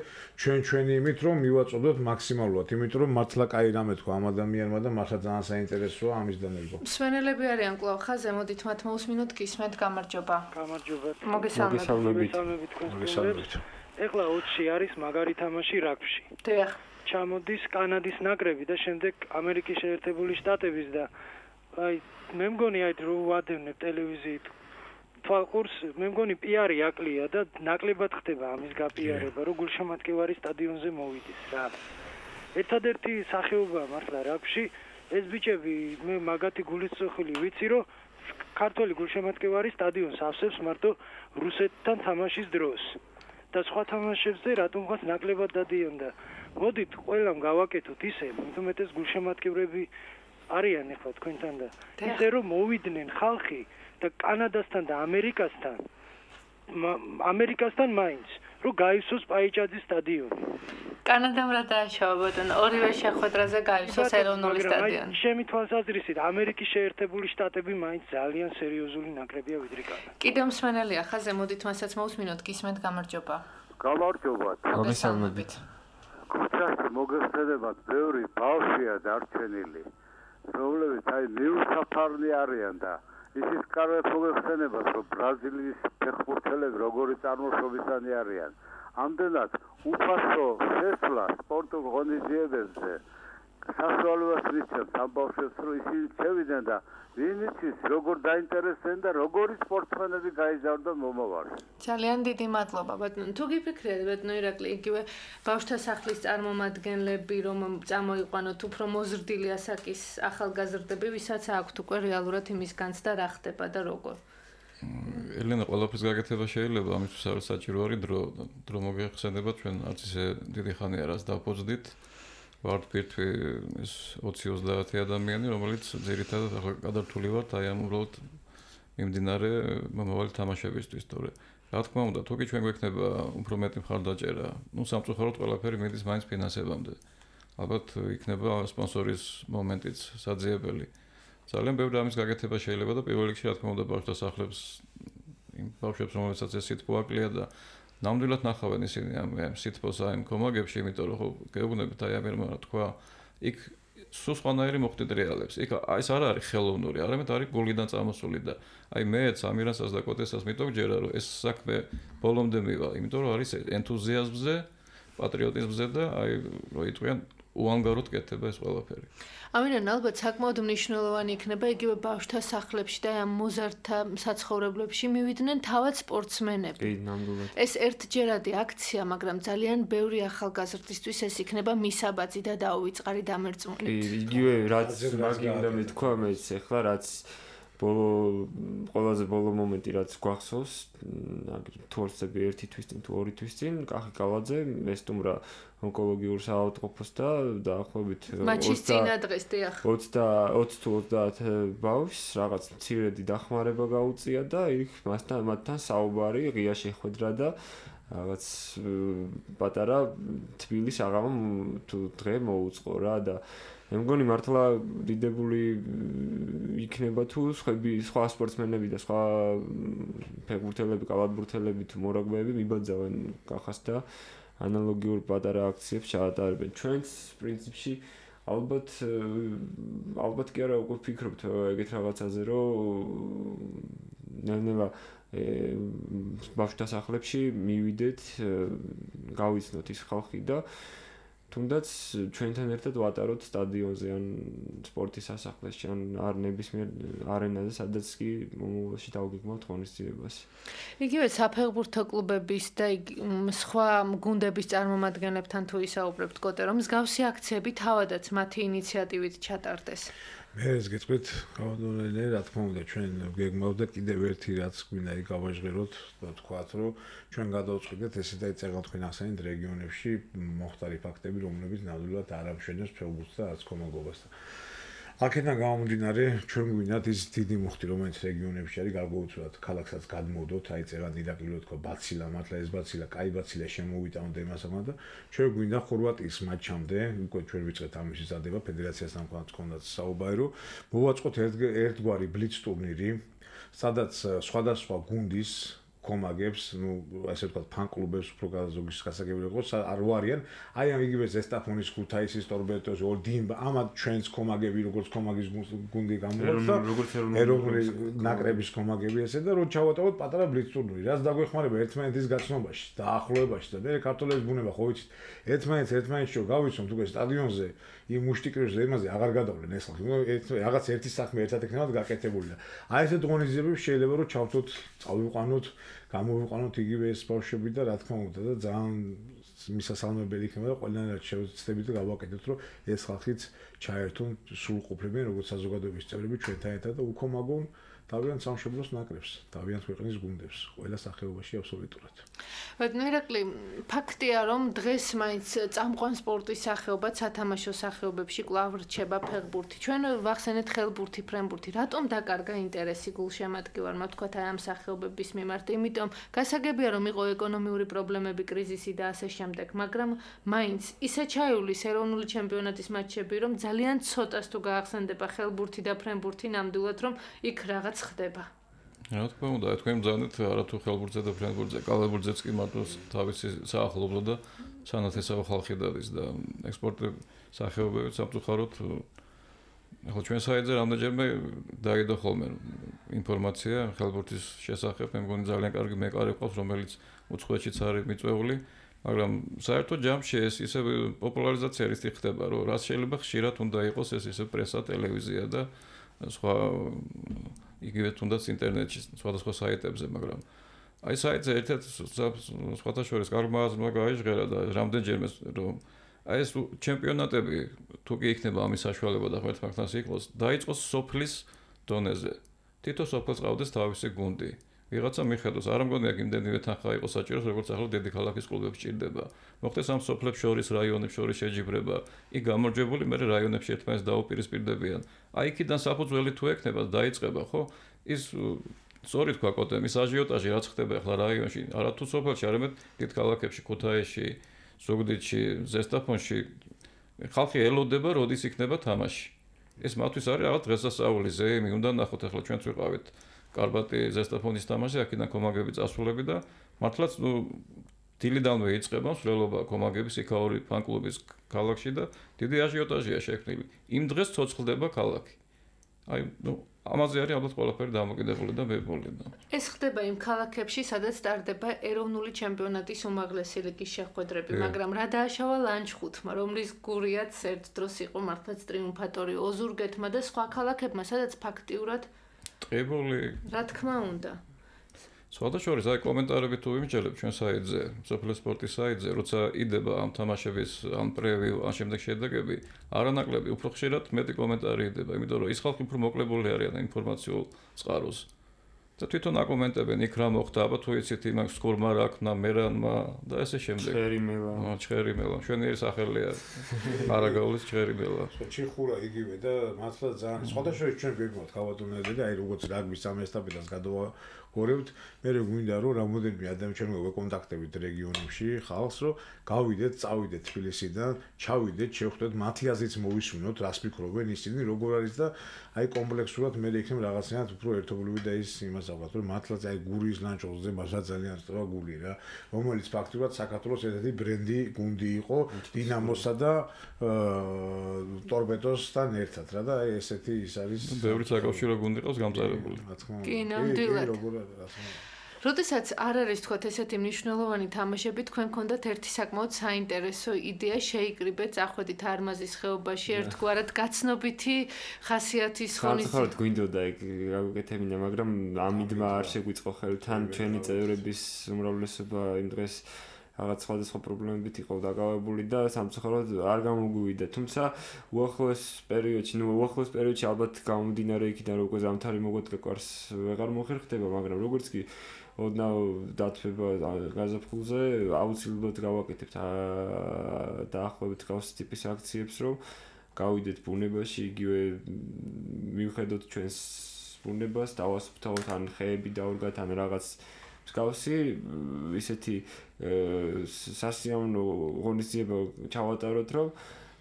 ჩვენი იმით რომ მივაწოდოთ მაქსიმალურად, იმიტომ რომ მართლა კაი რამე თქვა ამ ადამიანმა და მართლა ძალიან საინტერესოა ამის დაներგვა. მსვენელები არიან კვლავ ხაზე, მოდით მათ მოусმინოთ გისმენთ გამარჯობა. მოგესალმებით. ეხლა 20-ში არის მაგარი თამაში რაგბში. დიახ. ჩამოდის კანადის ნაკრები და შემდეგ ამერიკის შეერთებული შტატების და აი მე მგონი აი რო ვადევნებ ტელევიზიით თვალყურს მე მგონი პიარი აკლია და ნაკლებად ხდება ამის გაპიარება რომ გულშემატკივარი სტადიონზე მოვიდეს რა. ერთადერთი სახეობა მართლა რაგბში ეს ბიჭები მე მაგათი გულისწოხილი ვიცი რომ ქართველი გულშემატკივარი სტადიონს ავსებს მარტო რუსეთთან თამაშის დროს. და სხვა თამაშებზე რატომღაც ნაკლებად დადიან და მოდით ყველამ გავაკეთოთ ისე, მეტუმეტეს გულშემატკივრები არიან ახლა თქვენთან და ისე რომ მოვიდნენ ხალხი და კანადასთან და ამერიკასთან მაინც რომ გაივსოს პაიჭაძის სტადიონი. კანადამ რა დააშავა ბატონო, ორივე შეხვედრაზე გაივსოს ეროვნული სტადიონი. ჩემი თვალსაზრისით ამერიკის შეერთებული შტატები მაინც ძალიან სერიოზული ნაკრებია ვიდრე კანადა. კიდევ მსმენელია ხაზე, მოდით მასაც მოусმინოთ გისმენთ გამარჯობა. გამარჯობა. მოგესალმებით. ქუჩაში მოგესალმებით, ბევრი ბავშვია დარჩენილი, რომლებიც აი მიუსაფარნი არიან და ისიც კარგად მოგეხსენებათ, რომ ბრაზილიის ფეხბურთელები როგორი წარმოშობისანი არიან. ამდენად უფასო შესვლა სპორტულ ღონისძიებებზე საშუალებას მისცემს ამ ბავშვებს, რომ ისინი შევიდნენ და ვინ იცის როგორ დაინტერესდნენ და როგორი სპორტსმენები გაიზარდონ მომავალში. ძალიან დიდი მადლობა ბატონო. თუ გიფიქრეთ ბატონო ირაკლი, იგივე ბავშვთა სახლის წარმომადგენლები რომ წამოიყვანოთ უფრო მოზრდილი ასაკის ახალგაზრდები, ვისაც აქვთ უკვე რეალურად იმის განცდა რა ხდება და როგორ. ელენა ყველაფრის გაკეთება შეიძლება, ამისთვის არის საჭირო არის დრო მოგეხსენება ჩვენ არც ისე დიდი ხანი არას დავფოცდით. ვართ პირთვი ეს 20-30 ადამიანი, რომელიც ძირითადად ახლა გადართული ვართ აი ამ უბრალოდ მიმდინარე მომავალი თამაშებისთვის, თორე რა თქმა უნდა, თუკი ჩვენ გვექნება უფრო მეტი მხარდაჭერა, ну სამწუხაროდ ყველაფერი მიდის მაინც ფინანსებამდე. ალბათ იქნება სპონსორის მომენტიც საძიებელი. ძალიან ბევრი ამის გაკეთება შეიძლება და პირველ რიგში რა თქმა უნდა ბავშვთა სახლებს იმ ბავშვებს რომელსაც ეს სიტყვა აკლია და ნამდვილად ნახავენ ისინი ამ სიტყვას აი იმ კომაგებში, იმიტომ რომ ხო გეუბნებით აი ამერმა რა თქვა, იქ სულ სხვანაირი მოხდით რეალებს. იქ ეს არ არის ხელოვნური, არამედ არის გულიდან წამოსული და აი მეც ამირანსაც და კოტესას მითქვა ჯერა რომ ეს საქმე ბოლომდე მივა, იმიტომ რომ არის ენთუზიაზმზე, პატრიოტიზმზე და აი რო იტყვიან უანგაროდ კეთდება ეს ყველაფერი. ამიტომ ალბათ საკმაოდ მნიშვნელოვანი იქნება იგივე ბავშვთა სახლებში და ამ მოზარდთა საცხოვრებლებში მივიდნენ თავად სპორტსმენები. კი, ნამდვილად. ეს ერთჯერადი აქცია, მაგრამ ძალიან ბევრი ახალგაზრდისთვის ეს იქნება მისაბაძი და დაუვიწყარი დამერწმუნებით. კი, იგივე რაც მაგი უნდა მეთქვა მეც ახლა რაც ყველაზე ბოლო მომენტი რაც გვახსოვს, თორსები 1 თვის წინ თუ 2 თვის წინ, კახი კალაძე ესტუმრა ონკოლოგიურ საავადმყოფოს და დაახლოებით 20 თუ 30 ბავშვს რაღაც მცირედი დახმარება გაუწია და იქ მათთან საუბარი ღია შეხვედრა და რაღაც პატარა თბილის აღამა თუ დღე მოუწყო რა და მე მგონი მართლა დიდებული იქნება თუ სხვა სპორტსმენები და სხვა ფეხბურთელები, კალათბურთელები თუ მორაგბეები მიბაძავენ კახას და ანალოგიურ პატარა აქციებს ჩაატარებენ. ჩვენც პრინციპში ალბათ კი არა უკვე ვფიქრობთ ეგეთ რაღაცაზე, რომ ნელ-ნელა ბავშვთა სახლებში მივიდეთ, გავიცნოთ ის ხალხი და თუნდაც ჩვენთან ერთად ვატაროთ სტადიონზე ან სპორტის სასახლეში ან არ ნებისმიერ არენაზე, სადაც კი მომავალში დავგეგმავთ ღონისძიებას. იგივე საფეხბურთო კლუბების და სხვა გუნდების წარმომადგენლებთან თუ ისაუბრებთ კოტე, რომ მსგავსი აქციები თავადაც მათი ინიციატივით ჩატარდეს. მე ეს გეტყვით, გავადონე, რა თქმა უნდა, ჩვენ გეგმავთ და კიდევ ერთი რაც გვინდა გავაჟღეროთ, თქვათ, რომ ჩვენ გადავწყვიტეთ ესე და ეწერგავთ თქვენ ახსენეთ რეგიონებში მოხდარი ფაქტები, რომლებიც ნამდვილად არ ამშვენებს ფეხბურთს და არც კომაგობას. აქედან გამომდინარე, ჩვენ გვინდათ ის დიდი მუხტი, რომელიც რეგიონებში არის, გარკვეულწილად ქალაქსაც გადმოვდოთ, აი წერან დიდაკილო თქვა ბაცილა, მართლა ეს ბაცილა, კაი ბაცილა შემოვიტანოთ იმასამა და ჩვენ გვინდა ხორვატიის მატჩამდე, უკვე ჩვენ ვიწყეთ ამის ზადება, ფედერაციასთან კონდაც საუბარი, რომ მოვაწყოთ ერთგვარი ბლიც ტურნირი, სადაც სხვადასხვა გუნდის კომაგებს, ასე ვთქვათ, ფან-კლუბებს უფრო გაზოგის გასაგებია იყოს, არ ვარიან. აი ამ იგივე ზესტაფონის ქუთაისის ტორბეტოს, ორდინბა, ამათ ჩვენს კომაგები, როგორც კომაგის გუნდი გამოდის და ეროვნული ნაკრების კომაგები ესე და რომ ჩავატაროთ პატარა ბლიც ტურნირი. რაც დაგვეხმარება ერთმანეთის გაცნობაში, დაახლოებაში და მე ქართველების ბუნება ხო ვიცით, ერთმანეთში რომ გავიცნობთ უკვე სტადიონზე იმ მუშტიკრებს იმაზე აღარ გადავლენ ეს ხალხი. რაღაც ერთი საქმე ერთად ექნებათ გაკეთებული და აი ესეთ ღონისძიებებს შეიძლება რომ ჩავთოთ, წავიყვანოთ, გამოვიყვანოთ იგივე ეს ბავშვები და რა თქმა უნდა და ძალიან მისასალმებელი იქნება და ყველანაირად შევცდებით და გავაკეთოთ, რომ ეს ხალხიც ჩაერთონ სრულყოფილებიან როგორც საზოგადოების წევრები ჩვენთან ერთად და უკომაგონ დავიან სამშობლოს ნაკრებს, დავიან ქვეყნის გუნდებს, ყველა სახეობაში აბსოლუტურად. მერაკლი, ფაქტია, რომ დღეს მაინც წამყვან სპორტის სახეობად სათამაშო სახეობებში კვლავ რჩება ფეხბურთი. ჩვენ ვახსენეთ ხელბურთი, ფრენბურთი. რატომ დაკარგა ინტერესი გულშემატკივარმა, თქვათ აი ამ სახეობების მიმართ? იმიტომ გასაგებია, რომ იყო ეკონომიური პრობლემები, კრიზისი და ასე შემდეგ, მაგრამ მაინც ისე ჩაივლის ეროვნული ჩემპიონატის მატჩები, რომ ძალიან ცოტას თუ გაახსენდება ხელბურთი და ფრენბურთი, ნამდვილად რომ იქ რაღაც ხდება. რა თქმა უნდა, თქვენ მზადეთ არათუ ხელბურთზე და ფრენბურთზე, კალათბურთზეც კი მარტო თავისი საახლობლო და სანათესავე ხალხი დადის და ექსპორტი სახეობებით სამწუხაროდ ახლა ჩვენ საიტზე რამდენჯერმე დაიდო ხოლმე ინფორმაცია ხელბურთის შესახებ, მე მგონი ძალიან კარგი მეკარე ყავს, რომელიც უცხოეთშიც არის მიწვეული, მაგრამ საერთოდ ჯამში ეს ისე პოპულარიზაცია ის ხდება, რომ რაც შეიძლება ხშირად უნდა იყოს ეს ისე პრესა, ტელევიზია და სხვა იგივე თუნდაც ინტერნეტში, სხვადასხვა საიტებზე, მაგრამ აი საიტზე ერთ-ერთ სხვათა შორის კარგმაზმა გაიჟღერა და რამდენჯერმე რომ აი ეს ჩემპიონატები თუ კი იქნება ამის საშუალება და ღმერთმაგთანს იყოს, დაიწყოს სოფლის დონეზე. თითო სოფელს ყავდეს თავისი გუნდი. ვიღაცა მიხედოს, არ მგონია იმდენივე თანხა იყოს საჭიროს, როგორც ახლა დედიქალაქის კლუბებს ჭირდება. მოხდეს ამ სოფლებს შორის, რაიონებს შორის შეჯიბრება, იქ გამარჯვებული მე რაიონებში ერთმანეთს დაუპირისპირდებიან. აი იქიდან საფუძველი თუ ექნება, დაიწყება, ხო? ის სწორი თქვა კოტე, ის აჟიოტაჟი რაც ხდება ახლა რაიონში, არათუ სოფელში, არამედ დიდ ქალაქებში, ქუთაისში, ზუგდიდში, ზესტაფონში, ხალხი ელოდება, როდის იქნება თამაში. ეს მათთვის არის რაღაც დღესასწაული ზეიმი, უნდა ნახოთ ახლა ჩვენც ვიყავით კარბატი ზესტაფონის თამაში, აქედან კომაგები წასულები და მართლაც დილიდანვე იწყება მსვლელობა კომაგების იქაური ფან-კლუბის ქალაქში და დიდი აჟიოტაჟია შექმნილი. იმ დღეს ცოცხლდება ქალაქი. აი, ამაზე არის ალბათ ყველაფერი დამოკიდებული და მებოლი და. ეს ხდება იმ ქალაქებში, სადაც ტარდება ეროვნული ჩემპიონატის უმაღლესი ლიგის შეხვედრები, მაგრამ რა დააშავა ლანჩხუთმა, რომლის გურიაც ერთ დროს იყო მართლაც ტრიუმფატორი ოზურგეთმა და სხვა ქალაქებმა, სადაც ფაქტიურად ტყიბული. რა თქმა უნდა. სხვადასხვა აი კომენტარები თუ იმჯერებ ჩვენ საიტზე, სოფლის სპორტის საიტზე, როცა იდება ამ თამაშების ამ პრევიუ, ამ შემდეგ შედეგები, არანაკლები უფრო ხშირად მეტი კომენტარი იდება, იმიტომ რომ ის ხალხი უფრო მოკლებული არიან ინფორმაციულ წყაროს. და თვითონ აკომენტებენ იქ რა მოხდა, აბა თუ იცით იმას სკურმა რა ქნა, მერანმა და ესე შემდეგ. ჩხერიმელა. ჩვენი სახელია არაგაულის ჩხერიმელა. ჩიხურა იგივე და მართლა ძალიან სხვადასხვა ჩვენ გვიგმოთ ქავატონაზე და აი როგორც რაგბის ამ ესტაფეტას გადავაგორებთ, მე გვინდა რომ რამოდენიმე ადამიანს ვეკონტაქტებით რეგიონებში ხალხს, რომ გავიდეთ, წავიდეთ თბილისიდან, ჩავიდეთ, შევხვდეთ მათი აზრით მოვისმინოთ, რას ფიქრობენ ისინი, როგორ არის და აი კომპლექსურად მე იქნებ რაღაცნაირად უფრო ერთობლივი და ის იმას აღარ რომ მართლაც აი გურიის ლანჩხუთზე მასა ძალიან სწორა გული რა, რომელიც ფაქტურად საქართველოს ერთ-ერთი ბრენდი გუნდი იყო დინამოსა და ტორპედოსთან ერთად რა და აი ესეთი ის არის. ბევრი საკავშირო გუნდი ყავს გამწარებული. კი, ნამდვილად. როდესაც არ არის თქვათ ესეთი მნიშვნელოვანი თამაშები, თქვენ გქონდათ ერთი საკმაოდ საინტერესო იდეა შეიკრიბეთ, წახვედით არმაზის ხეობაში, ერთგვარად გაცნობითი ხასიათის ხონის. ხალხად გვინდოდა ეგ გაკეთებინა, მაგრამ ამიდმა არ შეგვიწყო ხელი, თან ჩვენი წევრების უმრავლესობა იმ დღეს რაღაც სხვადასხვა პრობლემებით იყო დაკავებული და სამწუხაროდ არ გამოგვივიდა. თუმცა უახლოეს პერიოდში ალბათ გამომდინარე იქიდან რომ უკვე ზამთარი მოგვეთქვას ვეღარ მოხერხდება, მაგრამ როგორც კი ოდნავ დათვება გაზაფხულზე აუცილებლად გავაკეთებთ დაახლოებით გავს ტიპის აქციებს, რომ გავიდეთ ბუნებაში, იგივე მივხედოთ ჩვენს ბუნებას, დავასუფთავოთ ან ხეები დავრგათ ან რაღაც მსგავსი ისეთი სასიამოვნო ღონისძიება ჩავატაროთ, რომ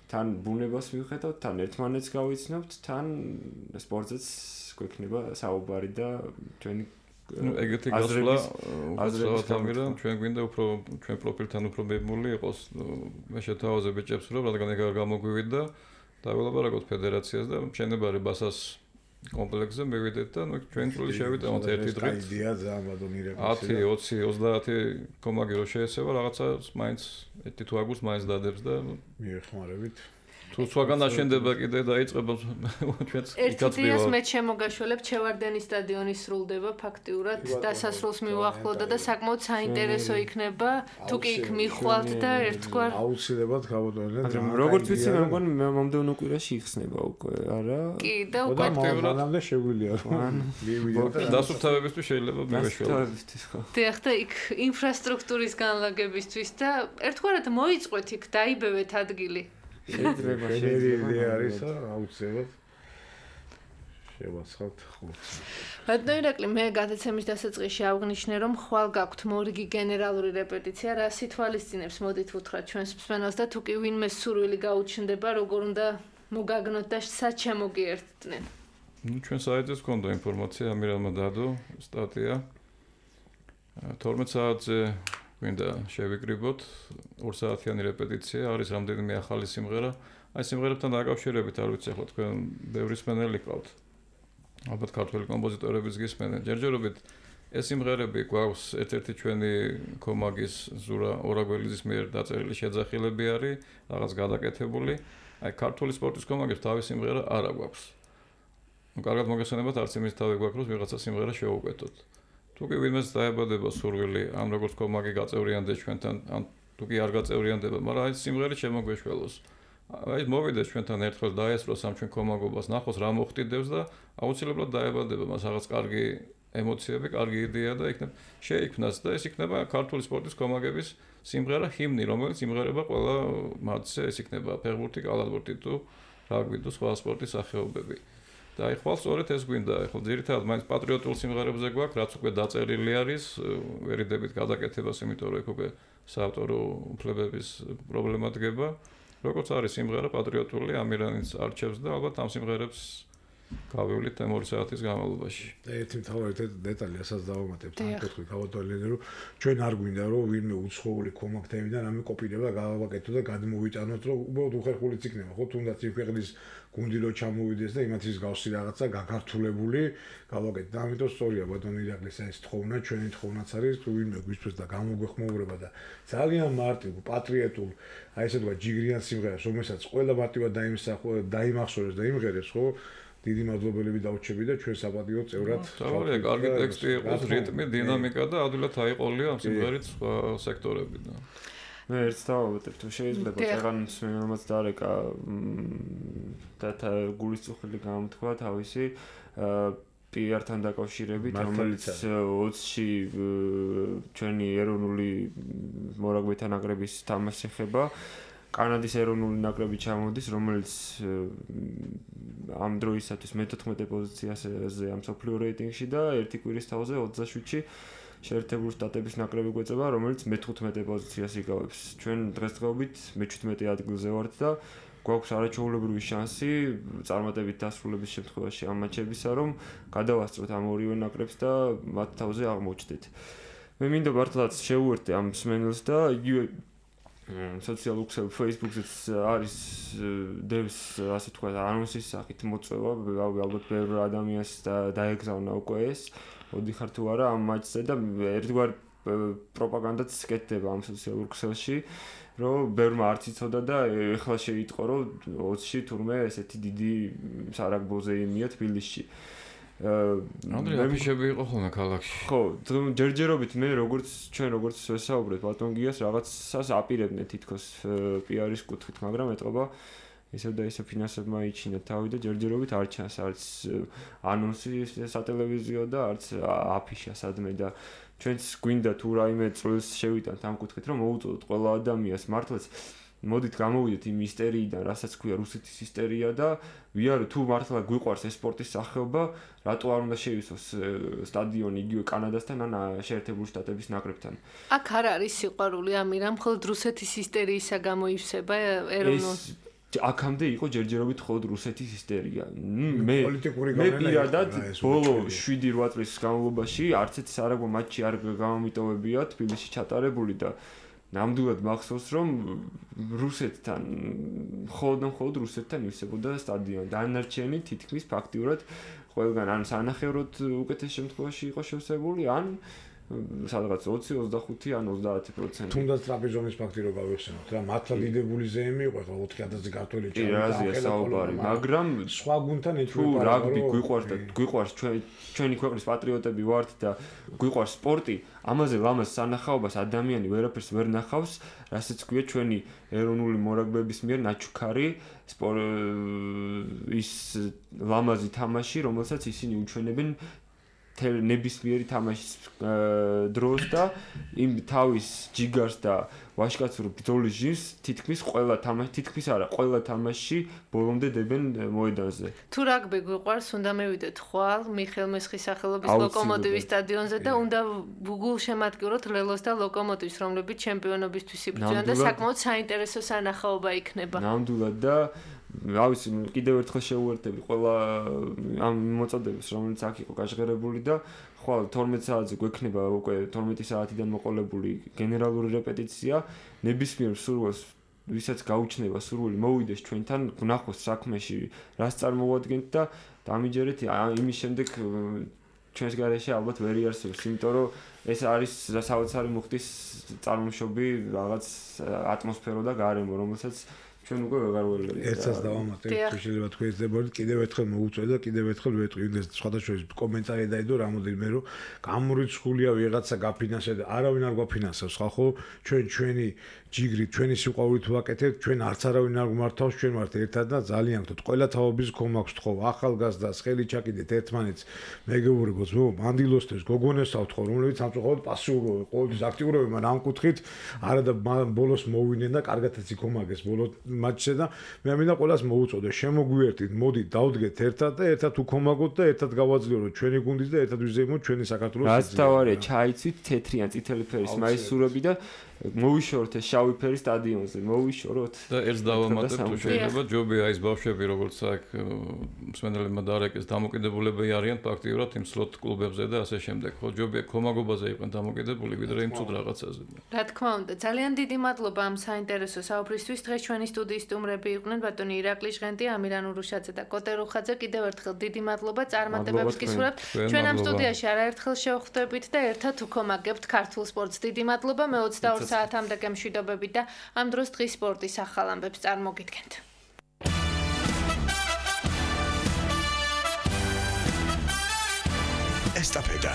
თან ბუნებას მივხედავთ, თან ერთმანეთს გავიცნობთ, თან სპორტზეც გვექნება საუბარი და ჩვენი ეგეთი გასვლა აზრებისამირა ჩვენ გვინდა უფრო ჩვენ პროფილთან უფრო მებმული იყოს. მე შეთავაზე ბიჭებს რომ რადგან ეგ არ გამოგვივიდა და ველაპარაკოთ ფედერაციას და მშენებარე ბასას კომპლექსზე მივიდეთ და ჩვენ წული შევიტანოთ ერთი დღით. იდეა ძალიან ბატონირებული. 10, 20, 30 კომაგი რო შეესება რაღაცა მაინც ერთი თუ აგვს მაინც დადებს და მიეხმარებით. თუ სხვაგან აშენდება კიდე დაიწყება ჩვენც იქაც მივარ. მე შემოგაშველებ ჩევარდენის სტადიონი სრულდება ფაქტიურად დასასრულს მივახლოვდა და საკმაოდ საინტერესო იქნება თუ კი იქ მიხვალთ და ერთგვარ აუცილებლად გავუტოვებთ. როგორც ვიცი მე მგონი მომდევნო კვირაში იხსნება უკვე, არა? კი და უკვე მანამდე შეგვიძლია რომ მივიდეთ და დასუფთავებისთვის შეიძლება მივეშველოთ. დიახ და იქ ინფრასტრუქტურის განლაგებისთვის და ერთგვარად მოიწყვეთ იქ დაიბევეთ ადგილი. შეიძლება არის აუცილებლად შევაცხავთ ხუთს. ბატონო ირაკლი, მე გადაცემის დასაწყისში აღნიშნე, რომ ხვალ გაქვთ მორიგი გენერალური რეპეტიცია, რა სითვალისწინებს მოდით უთხრათ ჩვენს მსმენელს და თუ კი ვინმე სურვილი გაუჩნდება, როგორ უნდა მოგაგნოთ და სად შემოგიერთდნენ. ჩვენ საიტზე გქონდა ინფორმაცია, ამირანმა დადო სტატია. 12 საათზე გვინდა შევიკრიბოთ 2 საათიანი რეპეტიცია, არის რამდენიმე ახალი სიმღერა. აი სიმღერებთან დაკავშირებით არ ვიცი ახლა თქვენ ბევრი მსმენელი ყავთ. ალბათ ქართველი კომპოზიტორებიც გისმენენ. ჯერჯერობით ეს სიმღერები გვაქვს ერთ-ერთი ჩვენი კომაგის ზურა ორაგველიძის მიერ დაწერილი შეძახილები არის, რაღაც გადაკეთებული. აი ქართული სპორტის კომაგებს თავის სიმღერა არ აქვს. კარგად მოგესალმებით, არც იმის თავი გვაქვს, რომ ვიღაცა სიმღერა შევუკეთოთ. თუ კი ვინმეს დაებადება სურვილი, ამ როგორც კომაგი გაწევრიანდეს ჩვენთან, ან თუ კი არ გაწევრიანდება, მაგრამ აი სიმღერით შემოგვეშველოს. აი მოვიდეს ჩვენთან ერთხელ დაესწროს ამ ჩვენ კომაგობას, ნახოს რა მოხდიდებს და აუცილებლად დაებადება მას რაღაც კარგი ემოციები, კარგი იდეა და იქნებ შეიქმნას და ეს იქნება ქართული სპორტის კომაგების სიმღერა ჰიმნი, რომელიც იმღერება ყველა მატჩზე, ეს იქნება ფეხბურთი, კალათბურთი თუ რაგბი თუ სხვა სპორტის სახეობები. და აი ხვალ სწორედ ეს გვინდა, ახლა ძირითადად მაინც პატრიოტულ სიმღერებზე გვაქვს, რაც უკვე დაწერილი არის, ვერიდებით გადაკეთებას, იმიტომ რომ უკვე საავტორო უფლებების პრობლემა დგება. როგორც არის სიმღერა პატრიოტული, ამირანიც არჩევს და ალბათ ამ სიმღერებს გავივლით 2 საათის განმავლობაში. ერთი მთავარი დეტალი ასაც დავამატებ თან კითხვის გავატოლინე რომ ჩვენ არ გვინდა რომ ვინმე უცხოური კომაქტებიდან ამე კოპირება გავაკეთო და გადმოვიტანოთ რომ უბრალოდ უხერხულიც იქნება ხო თუნდაც იმ ქვეყნის გუნდი რო ჩამოვიდეს და იმათის გავსი რაღაცა გაქართულებული გავაკეთეთ და ამიტომ სწორია ბატონო ირაკლის ეს თხოვნა ჩვენი თხოვნაც არის თუ ვინმე გვისთვის და გამოგვეხმოურება და ძალიან მარტივ პატრიოტულ აი ესე თქვა ჯიგრიან სიმღერას რომელსაც ყველა მარტივად დაიმახსოვრეს და იმღერეს ხო დიდი მადლობელები დავრჩები და ჩვენ საპატიო წევრად თავარია კარგი ტექსტი იყოს რიტმი დინამიკა და ადვილად აიყოლია ამ სიმღერით სხვა სექტორებიდან მე ერთს დავავატებ თუ შეიძლება წეგან მსმენელმაც დარეკა და გულისწუხილი გამოთქვა თავისი PR-თან დაკავშირებით რომელიც 20-ში ჩვენი ეროვნული მორაგბეთა ნაკრების თამაშს ეხება კანადის ეროვნული ნაკრები ჩამოდის რომელიც ამ დროისათვის მე-14 პოზიციაზე ამ სოფლიო რეიტინგში და ერთი კვირის თავზე 27-ში შეერთებული შტატების ნაკრები გვეწება რომელიც მე-15 პოზიციას იკავებს ჩვენ დღესდღეობით მე-17 ადგილზე ვართ და გვაქვს არაჩვეულებრივი შანსი წარმატებით დასრულების შემთხვევაში ამ მატჩებისა რომ გადავასწროთ ამ ორივე ნაკრებს და მათ თავზე აღმოჩნდეთ მე მინდა მართლაც შევუერთდე ამ მსმენელს და იგივე სოციალურ ქსელში Facebook-ზეც არის დევს ასე თქვა ანონსის სახით მოწვევა ალბათ ბევრ ადამიანს დაეგზავნა უკვე ეს ოდიხარ თუ არა ამ მატჩზე და ერთგვარ პროპაგანდაც სკეთდება ამ სოციალურ ქსელში რომ ბევრმა არც იცოდა და ეხლა შეიტყო რომ 20-ში თურმე ესეთი დიდი სარაგბოზე იმია თბილისში ანდრე აფიშები იყო ხოლმე ქალაქში ხო ჯერჯერობით მე ჩვენ როგორც ვესაუბრეთ ბატონ გიას რაღაცას აპირებდნენ თითქოს PR-ის კუთხით მაგრამ ეტყობა ისევ და ისევ ფინანსებმა იჩინა თავი და ჯერჯერობით არ ჩანს არც ანონსი სატელევიზიო და არც აფიშა სადმე და ჩვენც გვინდა თუ რაიმე წელს შევიტანთ ამ კუთხით რომ მოუწოდოთ ყველა ადამიანს მართლაც მოდით გამოვიდეთ იმ ისტორიიდან, რასაც ქვია რუსეთის ისტორია და ვიარო თუ მართლა გვიყვარს ეს სპორტის სახეობა, რატო არ უნდა შეივსოს სტადიონი იგივე კანადასთან ან შეერთებული შტატების ნაკრებთან. აქ არ არის სიყვარული ამირამ, მხოლოდ რუსეთის ისტორიისა გამოივსება ეროვნულ აქამდე იყო ჯერჯერობით მხოლოდ რუსეთის ისტორია. მე პირადად ბოლო 7-8 წლის განმავლობაში არც ერთი სარაგბო მატჩი არ გამომიტოვებია თბილისში ჩატარებული და ნამდვილად მახსოვს რომ რუსეთთან მხოლოდ რუსეთთან ივსებოდა სტადიონი. დანარჩენი თითქმის ფაქტიურად ყველგან ან სანახევროდ უკეთეს შემთხვევაში იყო შევსებული ან სადღაც 20-25 ან 30%. თუნდაც ტრაპეზონის ფაქტი რო გავიხსენოთ რა, მართლა დიდებული ზეიმი იყო, ხო 4000-ზე ქართველი ჩავიდა, მაგრამ სხვა გუნდთან თუ რაგბი გვიყვარს და გვიყვარს ჩვენი ქვეყნის პატრიოტები ვართ და გვიყვარს სპორტი, ამაზე ლამაზ სანახაობას ადამიანი ვერაფერს ვერ ნახავს, რასაც ქვია ჩვენი ეროვნული მორაგბეების მიერ ნაჩუქარი ის ლამაზი თამაში, რომელსაც ისინი უჩვენებენ ნებისმიერი თამაშის დროს და იმ თავის ჯიგარს და ვაშკაცურ ბრძოლის ჟინს თითქმის ყველა თამაში ბოლომდე დებენ მოედანზე. თუ რაგბი გვიყვარს, უნდა მივიდეთ ხვალ მიხელ მესხის სახელობის ლოკომოტივის სტადიონზე და უნდა გულშემატკივროთ ლელოს და ლოკომოტივის, რომლებიც ჩემპიონობისთვის იბრძვიან და საკმაოდ საინტერესო სანახაობა იქნება. ნამდვილად და რავის კიდევ ერთხელ შევუერთდები ყველა ამ მოწოდებას რომელიც აქ იყო გაჟღერებული და ხვალ 12 საათზე გვექნება უკვე 12 საათიდან მოყოლებული გენერალური რეპეტიცია ნებისმიერ სურვილს ვისაც გაუჩნდება სურვილი მოვიდეს ჩვენთან ვნახოს საქმეში რას წარმოვადგენთ და დამიჯერეთ იმის შემდეგ ჩვენს გარეშე ალბათ ვერ იარსებობს იმიტომ რომ ეს არის საოცარი მუხტის წარმოშობი რაღაც ატმოსფერო და გარემო რომელსაც ჩვენ უკვე ვეღარ ველოდებით. ერთსაც დავამატებ, თუ შეიძლება თქვენ ეძებოდეთ, კიდევ ერთხელ მოუწევ და კიდევ ერთხელ ვეტყვი, იმდეს სხვადასხვა კომენტარი დაიდო რამოდენიმე რომ გამორიცხულია ვიღაცა გაფინანსდა და არავინ არ გვაფინანსებს, ხალხო, ჩვენი ჯიგრით, ჩვენი სიყვარულით ვაკეთებთ, ჩვენ არც არავინ არ გვმართავს, ჩვენ ვართ ერთად და ძალიან გთხოვთ, ყველა თაობის გქონაქვს თხოვ, ახალგაზრდას ხელი ჩაკიდეთ ერთმანეთს, მეგობრებოს, მანდილოსებს, გოგონებსაც თხოვ, რომლებიც სამწუხაროდ პასიურობენ, ყოველთვის აქტიურობენ, მაგრამ ამ კუთხით არა და ბოლოს მოვიდნენ და კარგადაც იქომაგეს ბოლოს მატჩზე და მე მინდა ყველას მოუწოდე, შემოგვიერთით, მოდით, დავდგეთ ერთად და ერთად უქომაგოთ და ერთად გავაძლიეროთ ჩვენი გუნდის და ერთად ვიზეიმოთ ჩვენი საქართველოს. რაც თავარია, ჩაიცვით თეთრი ან წითელი ფერის მაისურები და მოვიშოროთ ეს შავი ფერი სტადიონზე, მოვიშოროთ. და ერთს დავამატებ თუ შეიძლება ჯობია ის ბავშვები როგორც აქ მსმენელებმა დაარეკეს დამოკიდებულები არიან ფაქტიურად იმ სლოტ კლუბებზე და ასე შემდეგ. ხო ჯობია კომაგობაზე იყვნენ დამოკიდებული ვიდრე იმ ცუდ რაღაცაზე. რა თქმა უნდა, ძალიან დიდი მადლობა ამ საინტერესო საუბრისთვის. დღეს ჩვენი სტუდიის სტუმრები იყვნენ ბატონი ირაკლი ჟღენტი, ამირან ურუშაძე და კოტე რუხაძე. კიდევ ერთხელ დიდი მადლობა წარმატებებს გისურვებთ. ჩვენ ამ სტუდიაში არაერთხელ შევხვდებით და ერთად უქომაგებთ ქართულ სპორტს. დიდი მადლობა. მე 22 საათამდე გემშვიდობებით და ამ დროს დღის სპორტის ახალ ამბებს წარმოგიდგენთ. ესტაფეტა